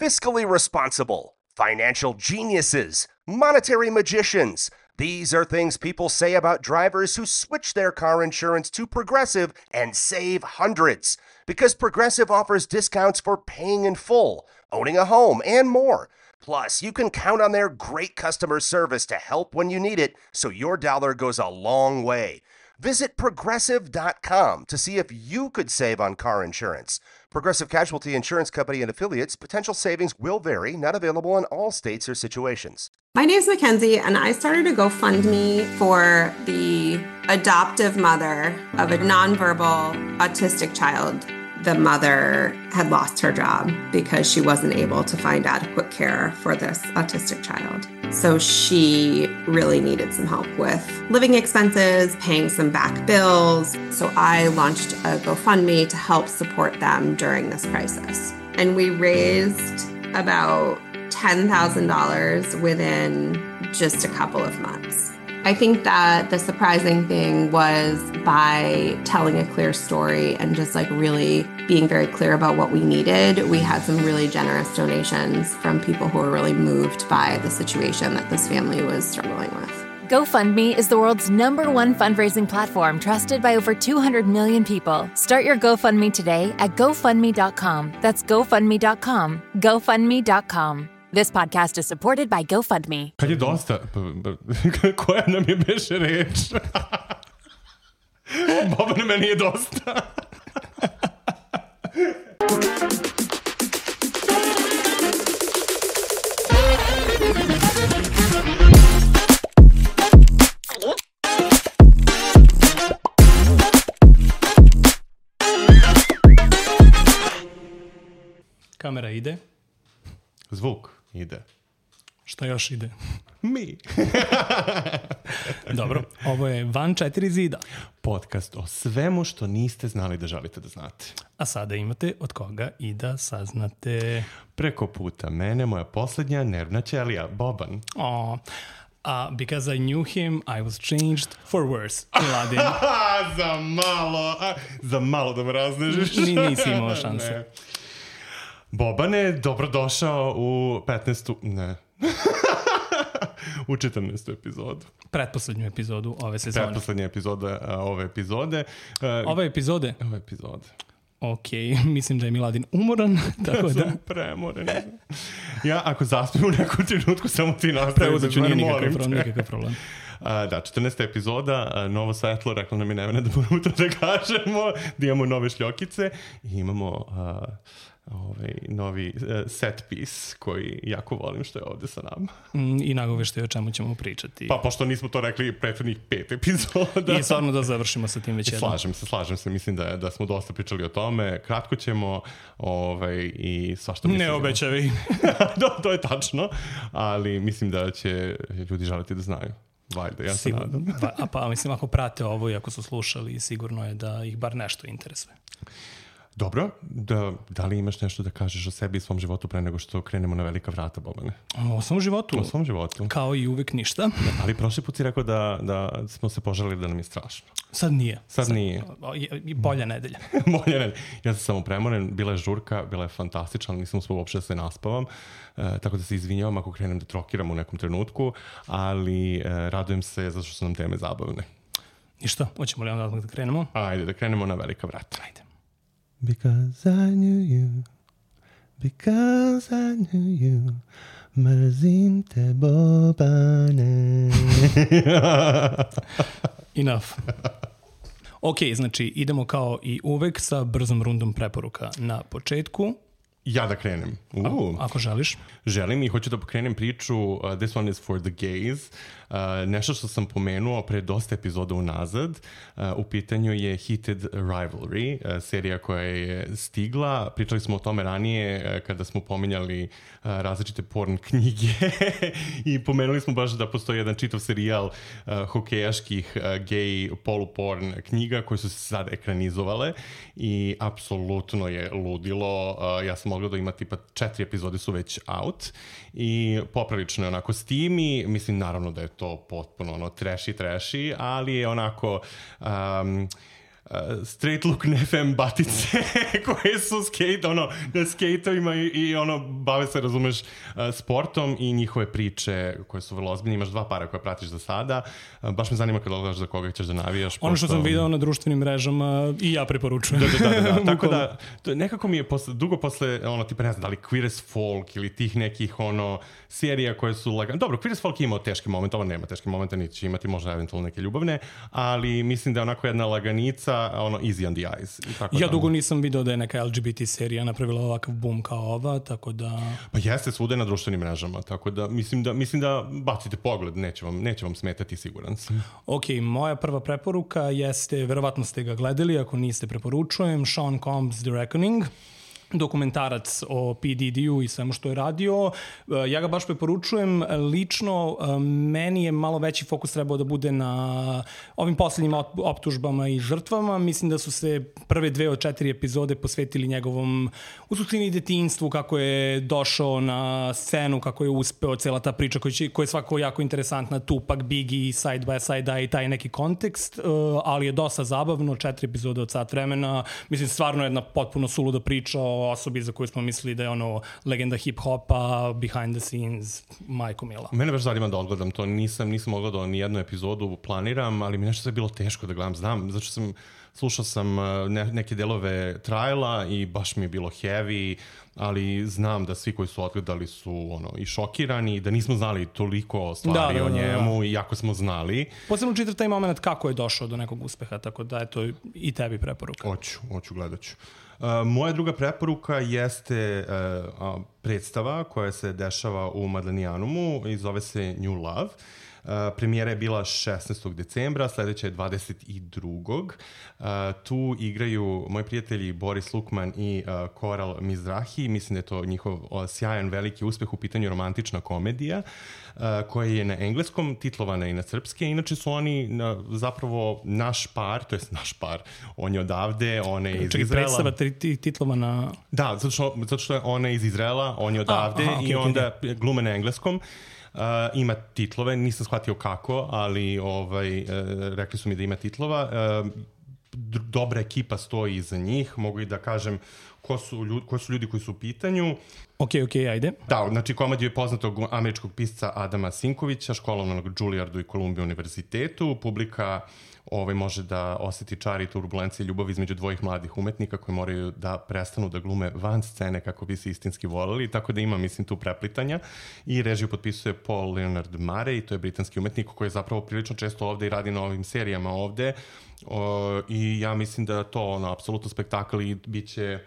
fiscally responsible, financial geniuses, monetary magicians. These are things people say about drivers who switch their car insurance to Progressive and save hundreds. Because Progressive offers discounts for paying in full, owning a home, and more. Plus, you can count on their great customer service to help when you need it, so your dollar goes a long way. Visit Progressive.com to see if you could save on car insurance. Progressive Casualty Insurance Company and Affiliates. Potential savings will vary. Not available in all states or situations. My name's Mackenzie, and I started a GoFundMe for the adoptive mother of a nonverbal autistic child. The mother had lost her job because she wasn't able to find adequate care for this autistic child. So she really needed some help with living expenses, paying some back bills. So I launched a GoFundMe to help support them during this crisis. And we raised about $10,000 within just a couple of months. I think that the surprising thing was by telling a clear story and just like really being very clear about what we needed, we had some really generous donations from people who were really moved by the situation that this family was struggling with. GoFundMe is the world's #1 fundraising platform trusted by over 200 million people. Start your GoFundMe today at GoFundMe.com. That's GoFundMe.com. GoFundMe.com. This podcast is supported by GoFundMe. Kad je dosta... Koja nam je beše reč? Bobane, meni je dosta. Kamera ide. Zvuk ide. Šta još ide? Mi. Dobro, ovo je Van 4 zida. Podcast o svemu što niste znali da želite da znate. A sada imate od koga i da saznate. Preko puta mene, moja posljednja nervna ćelija, Boban. Because I knew him, I was changed for worse. Miladin. Za malo da me raznežiš. Nisi imao šanse. Ne. Bobane, dobrodošao u 15. Ne. U 14. epizodu. Pretposlednju epizodu ove sezone. Pretposlednja epizoda ove epizode. Ove epizode? Ove epizode. Ok, mislim da je Miladin umoran, tako da... Sam premoren. Ja, ako zaspim u nekom trenutku, samo ti nastavim. Preuzet ću, nije nikakav problem. Da, 14. epizoda, novo svetlo, rekla nam je Nevena da moramo to da kažemo, da imamo nove šljokice i imamo novi set piece koji jako volim što je ovde sa nama. I nagoveštaj o čemu ćemo pričati. Pa pošto nismo to rekli prethodnih 5 epizoda. I stvarno da završimo sa tim već jednom. Slažem se, mislim da smo dosta pričali o tome. Kratko ćemo i svašta mislim. Ne obećavaj. To je tačno, ali mislim da će ljudi želiti da znaju. Valjda, ja se nadam. Pa mislim, ako prate ovo i ako su slušali, sigurno je da ih bar nešto interesuje. Dobro, da li imaš nešto da kažeš o sebi i svom životu pre nego što krenemo na velika vrata, Bobane? O svom životu? O svom životu. Kao i uvek ništa. Ali prošli put si rekao da smo se požalili da nam je strašno. Sad nije. Sad nije. Bolja nedelja. Bolja nedelja. Ja sam samo premoren, bila je žurka, bila je fantastična, nisam uspio uopšte da se naspavam, tako da se izvinjavam ako krenem da trokiram u nekom trenutku, ali radujem se zato što su nam teme zabavne. Ništa, hoćemo li onda da krenemo? Ajde, da krenemo na velika vrata. Ajde. Because I knew you, because I knew you, mrzim te, Bobane. Enough. Ok, znači idemo kao i uvek sa brzom rundom preporuka na početku. Ja da krenem. Ako želiš. Želim i hoću da pokrenem priču This one is for the gays. Nešto što sam pomenuo pre dosta epizoda unazad. U pitanju je Heated Rivalry, serija koja je stigla. Pričali smo o tome ranije kada smo pominjali različite porn knjige i pomenuli smo baš da postoji jedan čitav serijal hokejaških gay poluporn knjiga koje su se sad ekranizovale i apsolutno je ludilo. Ja sam mogla da ima tipa 4 epizode su već out i poprilično je onako steamy, mislim naravno da je to potpuno ono trashy, ali je onako straight look nefem batice koje su na skejtovima i bave se, razumeš, sportom i njihove priče koje su vrlo ozbiljne. Imaš 2 para koje pratiš za sada. Baš me zanima kada odgledaš za koga ćeš da navijaš. Ono što sam video na društvenim mrežama i ja preporučujem. Da. Tako da, nekako mi je dugo posle, tipa ne znam, da li Queer as Folk ili tih nekih, serija koje su lagane. Dobro, Queer as Folk je imao teški moment, ovo nema teški momenta, niti će imati možda eventualno neke ljubavne, ali mislim da je onako jedna laganica, easy on the eyes. Ja dugo nisam video da je neka LGBT serija napravila ovakav boom kao ova, tako da... Pa jeste, svuda na društvenim mrežama, tako da mislim da bacite pogled, neće vam smetati, siguran sam. Ok, moja prva preporuka jeste, verovatno ste ga gledali, ako niste preporučujem, Sean Combs' The Reckoning, dokumentarac o P. Diddy-u i svemu što je radio. Ja ga baš preporučujem. Lično, meni je malo veći fokus trebao da bude na ovim poslednjim optužbama i žrtvama. Mislim da su se prve 2 od 4 epizode posvetili njegovom u suštini detinjstvu, kako je došao na scenu, kako je uspeo, cela ta priča koja je svako jako interesantna, Tupac, Biggie, Side by Side i taj neki kontekst, ali je dosta zabavno, 4 epizode od sat vremena. Mislim, stvarno jedna potpuno suluda priča o osobi za koju smo mislili da je legenda hip-hopa, behind the scenes, majko mila. Mene baš zanima da odgledam to. Nisam odgledao ni jednu epizodu, planiram, ali mi nešto je bilo teško da gledam. Znam, zato što slušao sam neke delove trajla i baš mi je bilo heavy, ali znam da svi koji su odgledali su i šokirani, da nismo znali toliko stvari o njemu, iako smo znali. Posebno čitav taj moment kako je došao do nekog uspeha, tako da eto i tebi preporuka. Hoću, gledat ću. Moja druga preporuka jeste predstava koja se dešava u Madlenijanumu i zove se New Love. Premijera je bila 16. decembra, sledeća je 22. Tu igraju moji prijatelji Boris Lukman i Koral Mizrahi. Mislim da je to njihov sjajan veliki uspeh u pitanju romantična komedija koja je na engleskom, titlovana i na srpske. Inače su oni zapravo naš par, to jest naš par, on je odavde, ona je iz Izraela. Predstava titlovana... Da, zato što je ona iz Izraela, on je odavde i onda glume na engleskom. Ima titlove, nisam shvatio kako, ali rekli su mi da ima titlova. Dobra ekipa stoji iza njih, mogu i da kažem ko su ljudi koji su u pitanju. Ok, ajde. Da, znači komediju je poznatog američkog pisca Adama Sinkovića, školovanog na Juilliardu i Columbia univerzitetu. Publika može da oseti čar i turbulencije ljubavi između dvojih mladih umetnika koji moraju da prestanu da glume van scene kako bi se istinski voleli, tako da ima, mislim, tu preplitanja. I režiju potpisuje Paul Leonard Murray, to je britanski umetnik koji je zapravo prilično često ovde i radi na ovim serijama ovde. I ja mislim da to apsolutno spektakl i bit će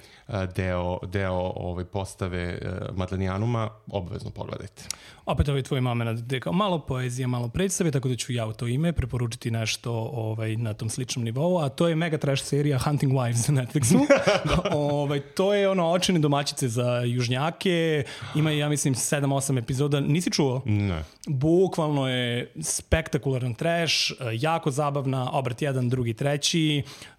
deo postave Madlenijanuma. Obavezno pogledajte. Opet tvoj moment gde kao malo poezije, malo predstave, tako da ću ja u to ime preporučiti nešto na tom sličnom nivou, a to je mega trash serija Hunting Wives na Netflixu. To je očine domaćice za južnjake, ima, ja mislim, 7-8 epizoda. Nisi čuo? Ne. Bukvalno je spektakularan trash, jako zabavna, obrat 1, 2,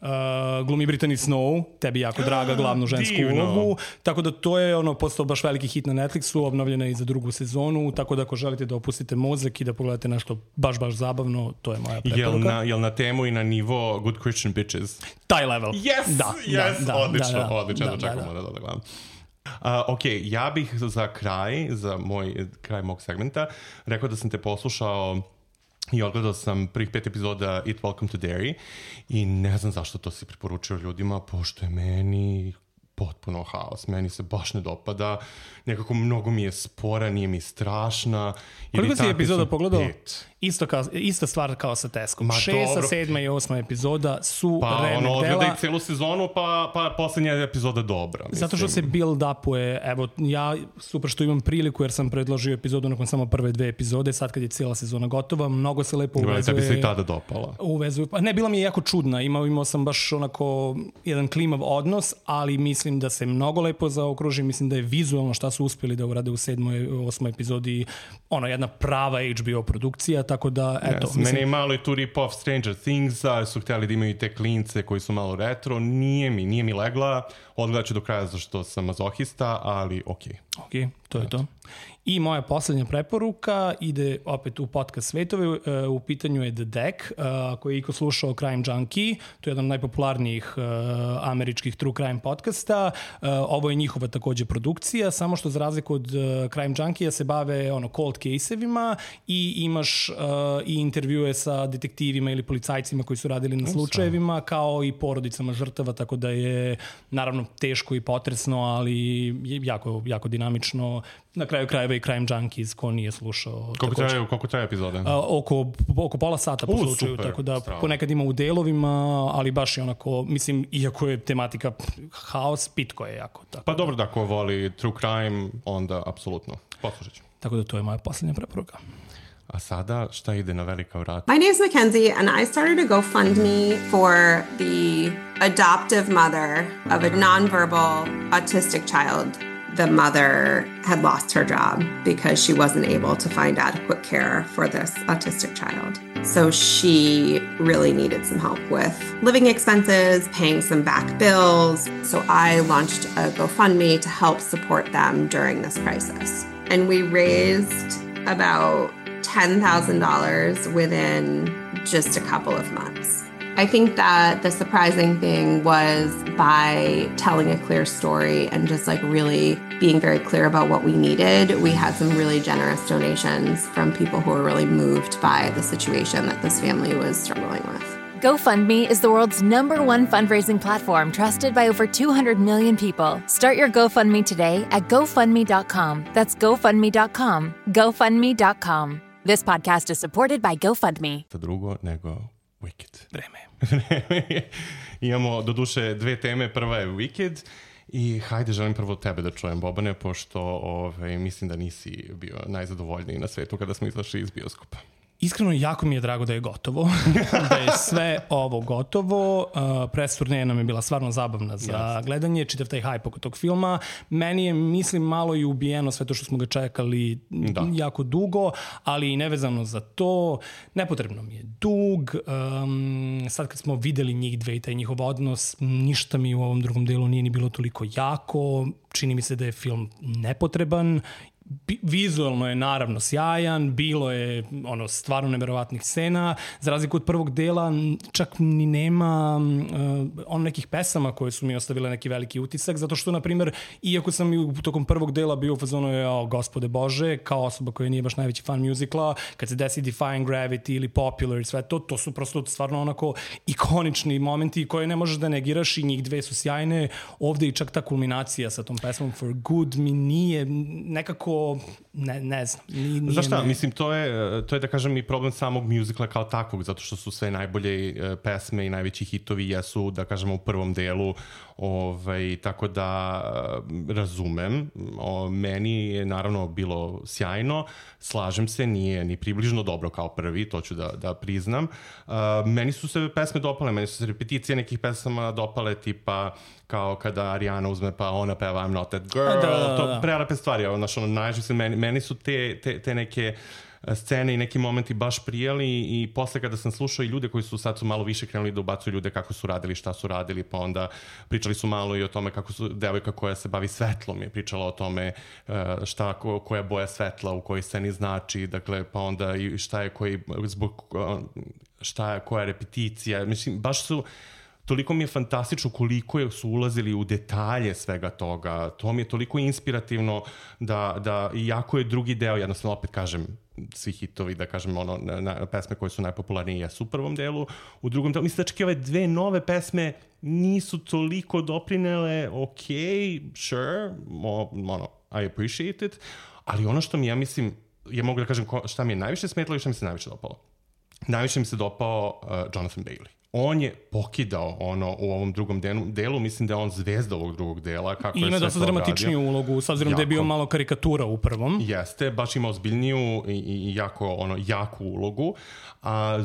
3, glumi Brittany Snow, tebi jako draga glavnu žensku ulogu, tako da to je postao baš veliki hit na Netflixu, obnovljena je i za 2. sezonu, tako da ako želite da opustite mozak i da pogledate nešto baš zabavno, to je moja preporuka. Jel na temu i na nivo Good Christian Bitches? Taj level. Yes, odlično, da čekamo da gledam. Ok, ja bih za kraj mog segmenta rekao da sam te poslušao i odgledao sam prvih 5 epizoda It Welcome to Derry i ne znam zašto to si preporučio ljudima, pošto je meni potpuno haos. Meni se baš ne dopada. Nekako mnogo mi je spora, nije mi strašna. Koliko si epizoda pogledao? 5. Ista stvar kao sa Teskom. 6, 7 i 8 epizoda su remek dela. Odgledaj celu sezonu, pa poslednja epizoda dobra. Mislim. Zato što se build-upuje. Evo, ja super što imam priliku jer sam predložio epizodu nakon samo prve 2 epizode. Sad kad je cijela sezona gotova, mnogo se lepo uvezuje. Tebi se i tada dopala. Ne, bila mi je jako čudna. Imao sam baš onako jedan klimav odnos, ali mislim da se mnogo lepo zaokruži. Mislim da je vizualno šta su uspjeli da urade u 7. i 8. epizodi jedna prava HBO produkcija, tako da, eto. Yes, meni je malo i tu rip-off Stranger Things-a, su htjeli da imaju i te klince koji su malo retro, nije mi legla, odgledat ću do kraja zašto sam mazohista, ali okej. Ok, to je to. I moja poslednja preporuka ide opet u podcast svetove, u pitanju je The Deck, koji je iko slušao Crime Junkie, to je jedan od najpopularnijih američkih true crime podcasta. Ovo je njihova takođe produkcija, samo što za razliku od Crime Junkie se bave cold case-evima i imaš i intervjue sa detektivima ili policajcima koji su radili na slučajevima, kao i porodicama žrtava, tako da je naravno teško i potresno, ali jako, jako dinamično. Na kraju krajeva i Crime Junkies, ko nije slušao. Koliko traje epizode? Oko pola sata po slučaju, super, tako da ponekad ima u delovima, ali baš je onako, mislim, iako je tematika haos, pitko je jako. Tako pa dobro, da ko voli true crime, onda apsolutno. Poslušat ću. Tako da to je moja posljednja preporuka. A sada, šta ide na velika vrata? My name is Mackenzie, and I started a GoFundMe for the adoptive mother of a nonverbal autistic child. The mother had lost her job because she wasn't able to find adequate care for this autistic child. So she really needed some help with living expenses, paying some back bills. So I launched a GoFundMe to help support them during this crisis. And we raised about $10,000 within just a couple of months. I think that the surprising thing was by telling a clear story and just really being very clear about what we needed, we had some really generous donations from people who were really moved by the situation that this family was struggling with. GoFundMe is the world's #1 fundraising platform trusted by over 200 million people. Start your GoFundMe today at GoFundMe.com. That's GoFundMe.com. GoFundMe.com. This podcast is supported by GoFundMe. Drugo nego Wicked. Vreme. Imamo doduše dve teme, prva je Wicked i hajde želim prvo tebe da čujem, Bobane, pošto mislim da nisi bio najzadovoljniji na svetu kada smo izašli iz bioskopa. Iskreno, jako mi je drago da je gotovo, da je sve ovo gotovo. Press turneja nam je bila stvarno zabavna za gledanje, čitav taj hype oko tog filma. Meni je, mislim, malo i ubijeno sve to što smo ga čekali jako dugo, ali i nevezano za to. Nepotrebno mi je dug. Sad kad smo videli njih dve i taj njihov odnos, ništa mi u ovom drugom delu nije ni bilo toliko jako. Čini mi se da je film nepotreban. Vizualno je naravno sjajan, bilo je stvarno neverovatnih scena, za razliku od prvog dela čak ni nema nekih pesama koje su mi ostavile neki veliki utisak, zato što, na primjer, iako sam i tokom prvog dela bio u fazonu gospode Bože, kao osoba koja nije baš najveći fan muzikla, kad se desi Defying Gravity ili Popular i sve to su prosto stvarno onako ikonični momenti koje ne možeš da negiraš i njih dve su sjajne. Ovde i čak ta kulminacija sa tom pesmom For Good mi nije nekako ne znam. Znaš šta, mislim, to je da kažem i problem samog muzikla kao takvog, zato što su sve najbolje pesme i najveći hitovi jesu, da kažemo, u prvom delu, tako da razumem. Meni je naravno bilo sjajno, slažem se, nije ni približno dobro kao prvi, to ću da priznam. Meni su se pesme dopale, meni su se repeticije nekih pesama dopale, tipa kao kada Ariana uzme pa ona peva I'm not that girl, to prelepe stvari, meni su te neke scene i neki momenti baš prijeli i posle kada sam slušao i ljude koji su sad malo više krenuli da ubacuju ljude kako su radili, šta su radili, pa onda pričali su malo i o tome kako su devojka koja se bavi svetlom je pričala o tome koja boja svetla u kojoj sceni znači, dakle, pa onda i koja je repeticija, mislim, baš su. Toliko mi je fantastično koliko su ulazili u detalje svega toga. To mi je toliko inspirativno da iako je drugi deo, jednostavno opet kažem, svi hitovi, da kažem, pesme koje su najpopularnije jesu u prvom delu. U drugom delu, mislim da čak i ove dve nove pesme nisu toliko doprinele, sure, I appreciate it, ali ono što mi, ja mislim, ja mogu da kažem šta mi je najviše smetalo i šta mi se najviše dopalo. Najviše mi se dopao Jonathan Bailey. On je pokidao u ovom drugom delu, mislim da je on zvezda ovog drugog dela. Kako ima dosta dramatičniju ulogu, s obzirom da je bio malo karikatura u prvom. Jeste, baš ima ozbiljniju i jaku ulogu. A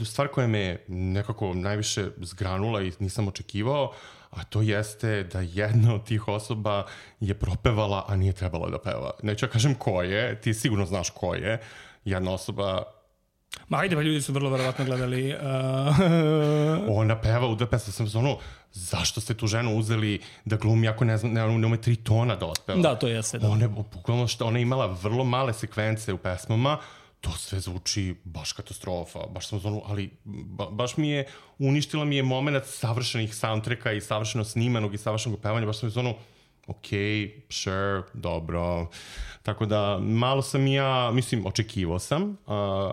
stvar koja me nekako najviše zgranula i nisam očekivao, a to jeste da jedna od tih osoba je propevala, a nije trebala da peva. Neću ja kažem ko je, ti sigurno znaš ko je. Jedna osoba Ma ajde, pa ljudi su vrlo verovatno gledali. Ona peva u dve pesme, sam ono, zašto ste tu ženu uzeli da glumi ako ne znam, ne ume 3 tona da otpeva? Da, to jeste, da. Ona je imala vrlo male sekvence u pesmama, to sve zvuči baš katastrofa, baš sam zvonu, ali baš uništila mi je moment savršenih soundtracka i savršeno snimanog i savršenog pevanja, baš sam zvonu, ok, sure, dobro. Tako da, malo sam očekivao sam,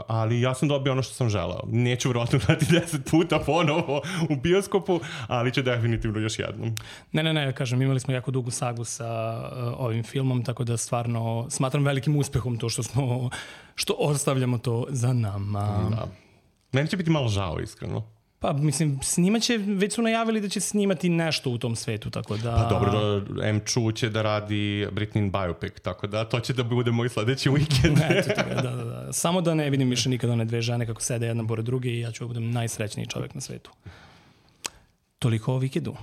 ali ja sam dobio ono što sam želeo. Neću vjerojatno gledati 10 puta ponovo u bioskopu, ali ću definitivno još jednom. Ne, kažem, imali smo jako dugu sagu sa ovim filmom, tako da stvarno smatram velikim uspehom to što ostavljamo to za nama. Da. Meni će biti malo žao, iskreno. Pa, mislim, već su najavili da će snimati nešto u tom svetu, tako da... Pa dobro, M. će da radi Britneyin biopic, tako da to će da bude moj sledeći vikend. Da. Samo da ne vidim više nikada one dve žene kako sede jedna pored druge i ja ću budem najsrećniji čovjek na svetu. Toliko o vikendu.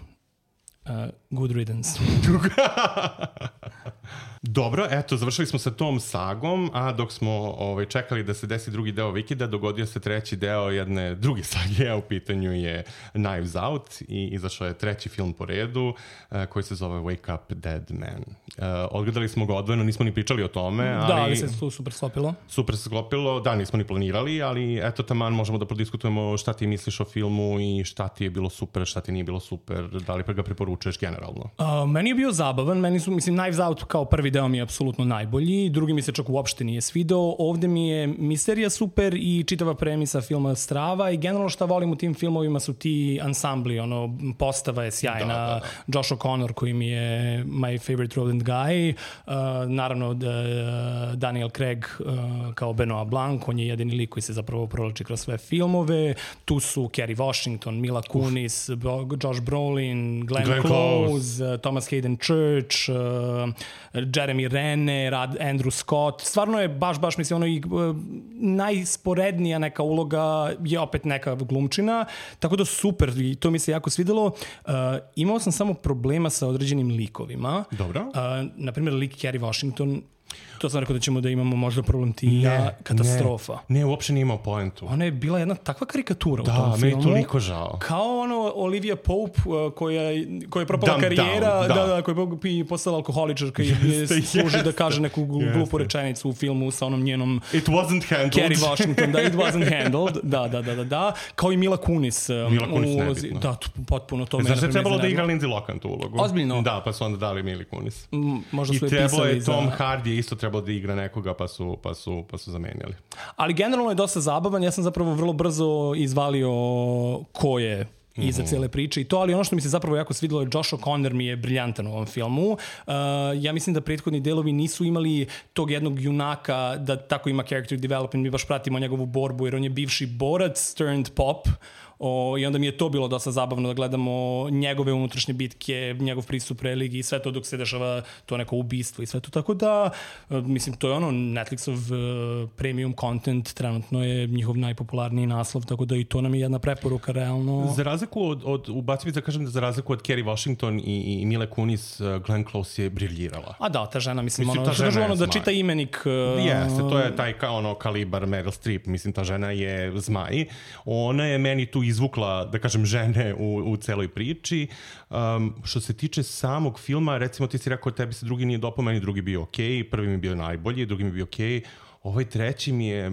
Good riddance. Dobro, eto, završili smo sa tom sagom, a dok smo čekali da se desi drugi deo vikenda, dogodio se treći deo jedne druge sage, a u pitanju je Knives Out i izašao je treći film po redu koji se zove Wake Up Dead Man. Odgledali smo ga odvojeno, nismo ni pričali o tome, ali... Da, ali se tu super sklopilo. Super se sklopilo, da, nismo ni planirali, ali eto, taman možemo da prodiskutujemo šta ti misliš o filmu i šta ti je bilo super, šta ti nije bilo super, da li ga preporučuješ generalno? Meni je bio zabavan, Knives Out kao prvi deo mi je apsolutno najbolji, drugi mi se čak uopšte nije svidao, ovde mi je misterija super i čitava premisa filma strava i generalno šta volim u tim filmovima su ti ansambli, postava je sjajna, da. Josh O'Connor koji mi je my favorite Roland Guy, naravno Daniel Craig kao Benoit Blanc, on je jedini lik koji se zapravo provlači kroz sve filmove, tu su Kerry Washington, Mila Kunis, Josh Brolin, Glenn Close, Thomas Hayden Church, Jeremy Renner, Andrew Scott, stvarno je baš najsporednija neka uloga je opet neka glumčina, tako da super i to mi se jako svidelo. Imao sam samo problema sa određenim likovima. Dobro. Naprimjer, lik Kerry Washington, to sam rekao da ćemo da imamo možda problem katastrofa. Ne, uopšte nije imao poentu. Ona je bila jedna takva karikatura u tom filmu. Da, meni je toliko žao. Kao Olivia Pope koja je propala karijera, koja je postala alkoholičarka i služi da kaže neku glupu rečenicu u filmu sa onom njenom... It wasn't handled. Kerry Washington, da, it wasn't handled. Da. Kao i Mila Kunis. Mila Kunis nebitno. Da, potpuno to. Znaš da je trebalo da igra Lindsay Lohan tu ulogu? Ozbiljno? Da, pa su onda dali Mili Kunis. Možda su je pisali za... Tom Hardy je isto trebalo da igra nekoga pa su zamenjali. Ali generalno je dosta zabavan, ja sam zapravo vrlo brzo izvalio ko je iza cele priče i to, ali ono što mi se zapravo jako svidjelo je Josh O'Connor mi je briljantan u ovom filmu. Ja mislim da prethodni delovi nisu imali tog jednog junaka da tako ima character development, mi baš pratimo njegovu borbu jer on je bivši borac turned pop. I onda mi je to bilo dosta zabavno da gledamo njegove unutrašnje bitke, njegov pristup religiji i sve to dok se dešava to neko ubistvo i sve to. Tako da, mislim, to je Netflixov premium content, trenutno je njihov najpopularniji naslov, tako da i to nam je jedna preporuka realno. Za razliku od ubacim da kažem da za razliku od Kerry Washington i Mile Kunis, Glenn Close je briljirala. A da, ta žena, mislim ta žena da čita imenik. Jeste, to je taj kalibar Meryl Streep, mislim, ta žena je zmaj. Ona je meni tu izvukla, da kažem, žene u celoj priči. Što se tiče samog filma, recimo ti si rekao tebi se drugi nije dopao, meni drugi bio okej, prvi mi je bio najbolji, drugi mi je bio okej, ovaj treći mi je...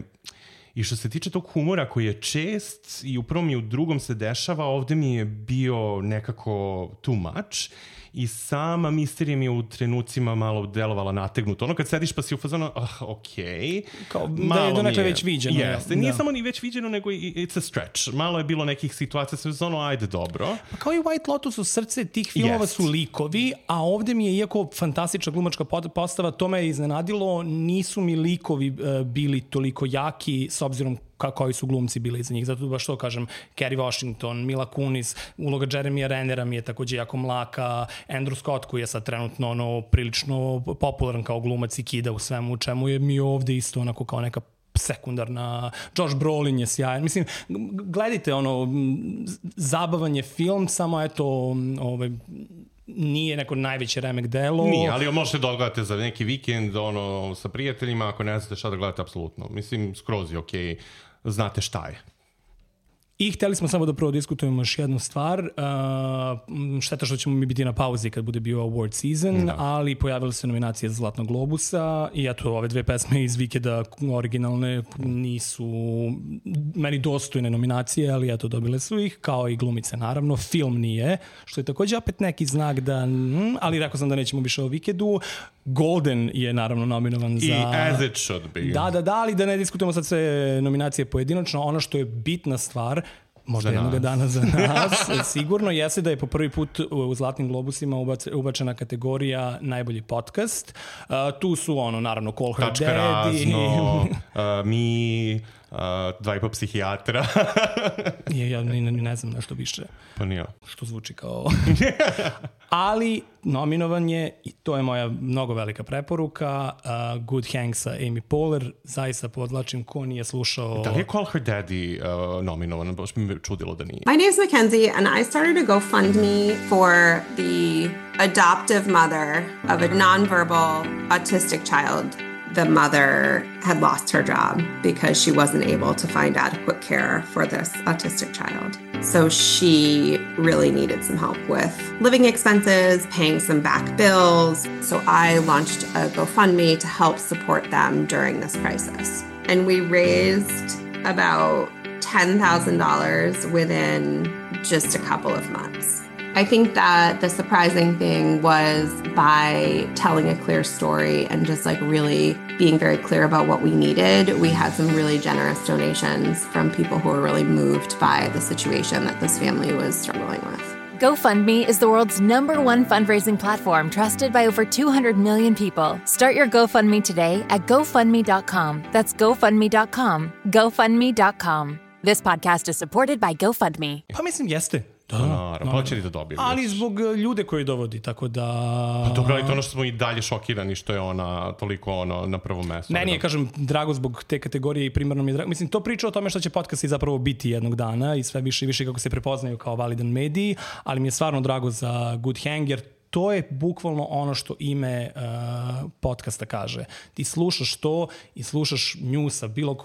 I što se tiče tog humora koji je čest i u prvom i u drugom se dešava, ovde mi je bio nekako too much. I sama misterija mi je u trenucima malo delovala nategnuto. Kad sediš pa si u fazonu, okej. Kao da je donekle već viđeno. Jeste, nije samo ni već viđeno, nego it's a stretch. Malo je bilo nekih situacija sa fazonu, ajde, dobro. Pa kao i White Lotus, u srce tih filmova su likovi, a ovde mi je, iako fantastična glumačka postava, to me je iznenadilo, nisu mi likovi bili toliko jaki, s obzirom koji su glumci bili iza njih. Zato baš to kažem, Kerry Washington, Mila Kunis, uloga Jeremya Rennera mi je takođe jako mlaka, Andrew Scott koji je sad trenutno prilično popularan kao glumac i kida u svemu, u čemu je mi ovde isto onako kao neka sekundarna. Josh Brolin je sjajan. Mislim, gledajte, zabavan je film, samo eto, nije neko najveće remek delo. Nije, ali možete da odgledate za neki vikend sa prijateljima, ako ne znate šta da gledate, apsolutno. Mislim, skroz je okej, znate šta je. I hteli smo samo da prvo diskutujemo još jednu stvar. Šteta što ćemo mi biti na pauzi kad bude bio award season, ali pojavile se nominacije za Zlatnog globusa i eto, ove dve pesme iz Vikeda originalne nisu meni dostojne nominacije, ali eto, dobile su ih, kao i glumice naravno. Film nije, što je također opet neki znak da, ali rekao sam da nećemo više o Vikedu. Golden je naravno nominovan za... I as it should be. Da, ali da ne diskutujemo sad sve nominacije pojedinačno. Ono što je bitna stvar, možda jednog dana za nas, sigurno jeste da je po prvi put u Zlatnim globusima ubačena kategorija najbolji podcast. Tu su naravno Call Her Tačka Daddy. razno, mi, dva i po psihijatra. Ja ne znam nešto više. Pa nije. Što zvuči kao... Ali nominovan je, i to je moja mnogo velika preporuka, Good Hang sa Amy Poehler. Zaista podlačim, ko nije slušao... Da li je Call Her Daddy nominovan? Baš mi čudilo da nije. My name is Mackenzie, and I started a GoFundMe for the adoptive mother of a nonverbal autistic child. The mother had lost her job because she wasn't able to find adequate care for this autistic child. So she really needed some help with living expenses, paying some back bills. So I launched a GoFundMe to help support them during this crisis. And we raised about $10,000 within just a couple of months. I think that the surprising thing was by telling a clear story and just really being very clear about what we needed, we had some really generous donations from people who were really moved by the situation that this family was struggling with. GoFundMe is the world's #1 fundraising platform trusted by over 200 million people. Start your GoFundMe today at GoFundMe.com. That's GoFundMe.com. GoFundMe.com. This podcast is supported by GoFundMe. Pa mislim, jeste. Naravno, pa će li da dobije. Ali zbog ljude koji dovodi, tako da... Pa dobro, ali to ono što smo i dalje šokirani što je ona toliko na prvom mestu. Meni je, kažem, drago zbog te kategorije i primarno mi je drago. Mislim, to priča o tome što će podcasti zapravo biti jednog dana i sve više i više kako se prepoznaju kao validan mediji, ali mi je stvarno drago za Good Hang, jer to je bukvalno ono što ime podcasta kaže. Ti slušaš to i slušaš nju sa bilo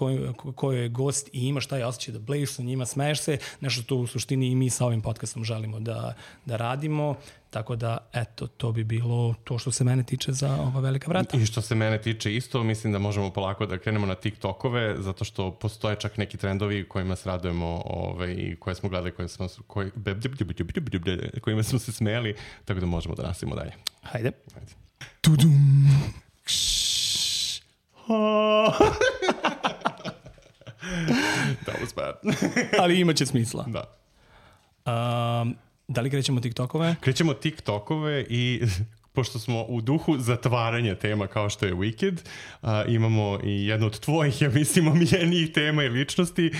koji je gost i imaš taj osjećaj da blejiš sa njima, smeješ se, nešto to u suštini i mi sa ovim podcastom želimo da radimo. Tako da, eto, to bi bilo to što se mene tiče za ova velika vrata. I što se mene tiče isto, mislim da možemo polako da krenemo na TikTokove, zato što postoje čak neki trendovi kojima se radujemo i koje smo gledali, kojima smo se smeli, tako da možemo da nastavimo dalje. Hajde. Tudum. That was bad. Ali imaće smisla. Da. Da li krećemo TikTokove? Krećemo TikTokove i pošto smo u duhu zatvaranja tema kao što je Wicked, imamo i jednu od tvojih, ja mislim, omiljenijih tema i ličnosti.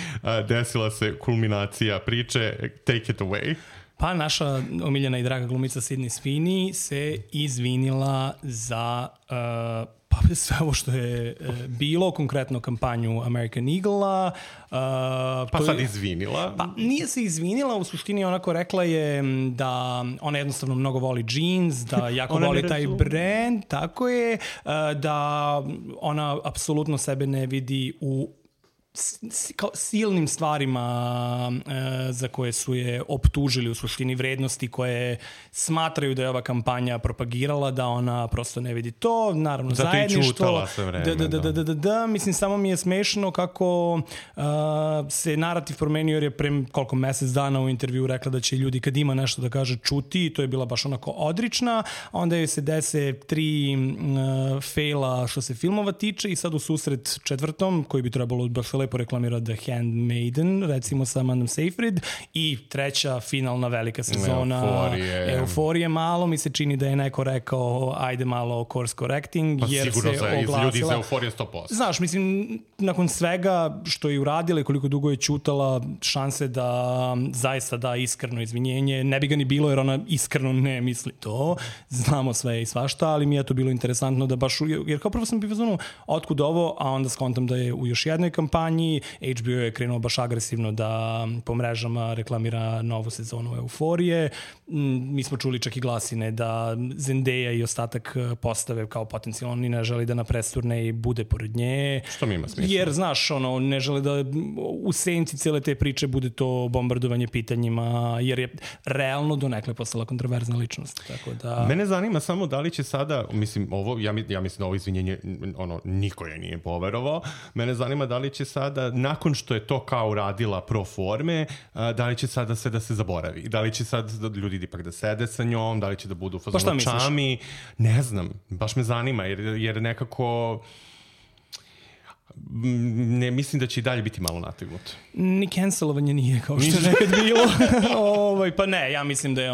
Desila se kulminacija priče. Take it away. Pa naša omiljena i draga glumica Sydney Sweeney se izvinila za pa sve ovo što je bilo, konkretno kampanju American Eagle-a. Pa sad izvinila? Pa nije se izvinila, u suštini onako rekla je da ona jednostavno mnogo voli jeans, da jako voli taj brand, tako je, da ona apsolutno sebe ne vidi u silnim stvarima za koje su je optužili, u suštini vrednosti koje smatraju da je ova kampanja propagirala, da ona prosto ne vidi to, naravno zato zajedništvo. Zato i čutala sve vreme. Da, mislim, samo mi je smešno kako se narativ promenio, jer je pre koliko mesec dana u intervju rekla da će ljudi kad ima nešto da kaže čuti, i to je bila baš onako odrična, onda joj se dese 3 faila što se filmova tiče i sad u susret četvrtom, koji bi trebalo baš lepo reklamira The Handmaiden, recimo sa Amandom Seyfried, i treća finalna velika sezona Euforije. Malo mi se čini da je neko rekao ajde malo course correcting, pa jer se oglasila. Ljudi iz Euforije 100%. Znaš, mislim, nakon svega što je uradila i koliko dugo je ćutala, šanse da zaista da iskreno izvinjenje, ne bi ga ni bilo jer ona iskreno ne misli to. Znamo sve i svašta, ali mi je to bilo interesantno da baš, jer kao prvo sam bio otkud ovo, a onda skontam da je u još jednoj kampanji kampanji, HBO je krenuo baš agresivno da po mrežama reklamira novu sezonu Euforije. Mi smo čuli čak i glasine da Zendaya i ostatak postave kao potencijalno ni ne želi da na presturne i bude pored nje. Što mi ima smisla. Jer, znaš, ne žele da u senci cijele te priče bude to bombardovanje pitanjima, jer je realno donekle postala kontroverzna ličnost. Tako da... Mene zanima samo da li će sada, mislim, ovo, ja mislim da ovo izvinjenje, niko je nije poverovao. Mene zanima da li će sada, nakon što je to kao uradila pro forme, da li će sada sve da se zaboravi? Da li će sad ljudi ipak da sede sa njom? Da li će da budu u fazonu čami? Ne znam, baš me zanima, jer nekako... Ne, mislim da će i dalje biti malo nategnut. Ni cancelovanje nije kao što je nekad bilo. Pa ne, ja mislim da je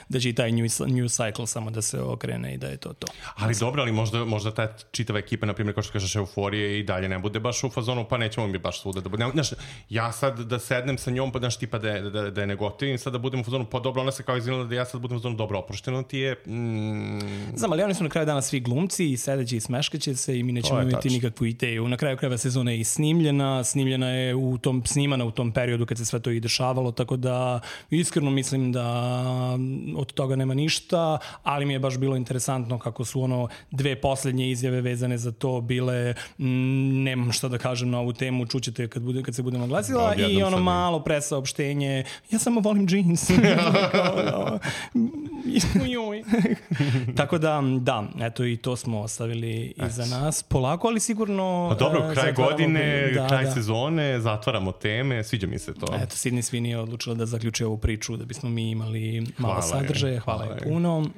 da će i taj new cycle samo da se okrene i da je to. Ali dobro, ali možda ta čitava ekipa, na primjer, kao što kažeš Euforije, i dalje ne bude baš u fazonu, pa nećemo mi baš svuda da bude. Znaš, ja sad da sednem sa njom, pa znaš, tipa da je negotivim, sad da budem u fazonu, pa dobro, ona se kao izvinila da ja sad budem u fazonu, dobro, oprošteno ti je. Znam, ali oni su na kraju dana svi glumci i sedeći i smeškaće se i mi nećemo imati nikakvu ideju. Na kraju krajeva sezona je i snimljena je snimana u tom periodu kad se sve to i dešavalo, tako da iskreno mislim da od toga nema ništa, ali mi je baš bilo interesantno kako su dve poslednje izjave vezane za to bile, nemam šta da kažem na ovu temu, čućete kad se budemo glasila, i malo presaopštenje, ja samo volim džins. Tako da, eto i to smo ostavili iza nas polako, ali sigurno... Pa dobro, kraj godine, kraj sezone, zatvaramo teme, sviđa mi se to. Eto, Sydney Sweeney je odlučila da zaključi ovu priču da bismo mi imali malo sadržaja. Hvala je puno.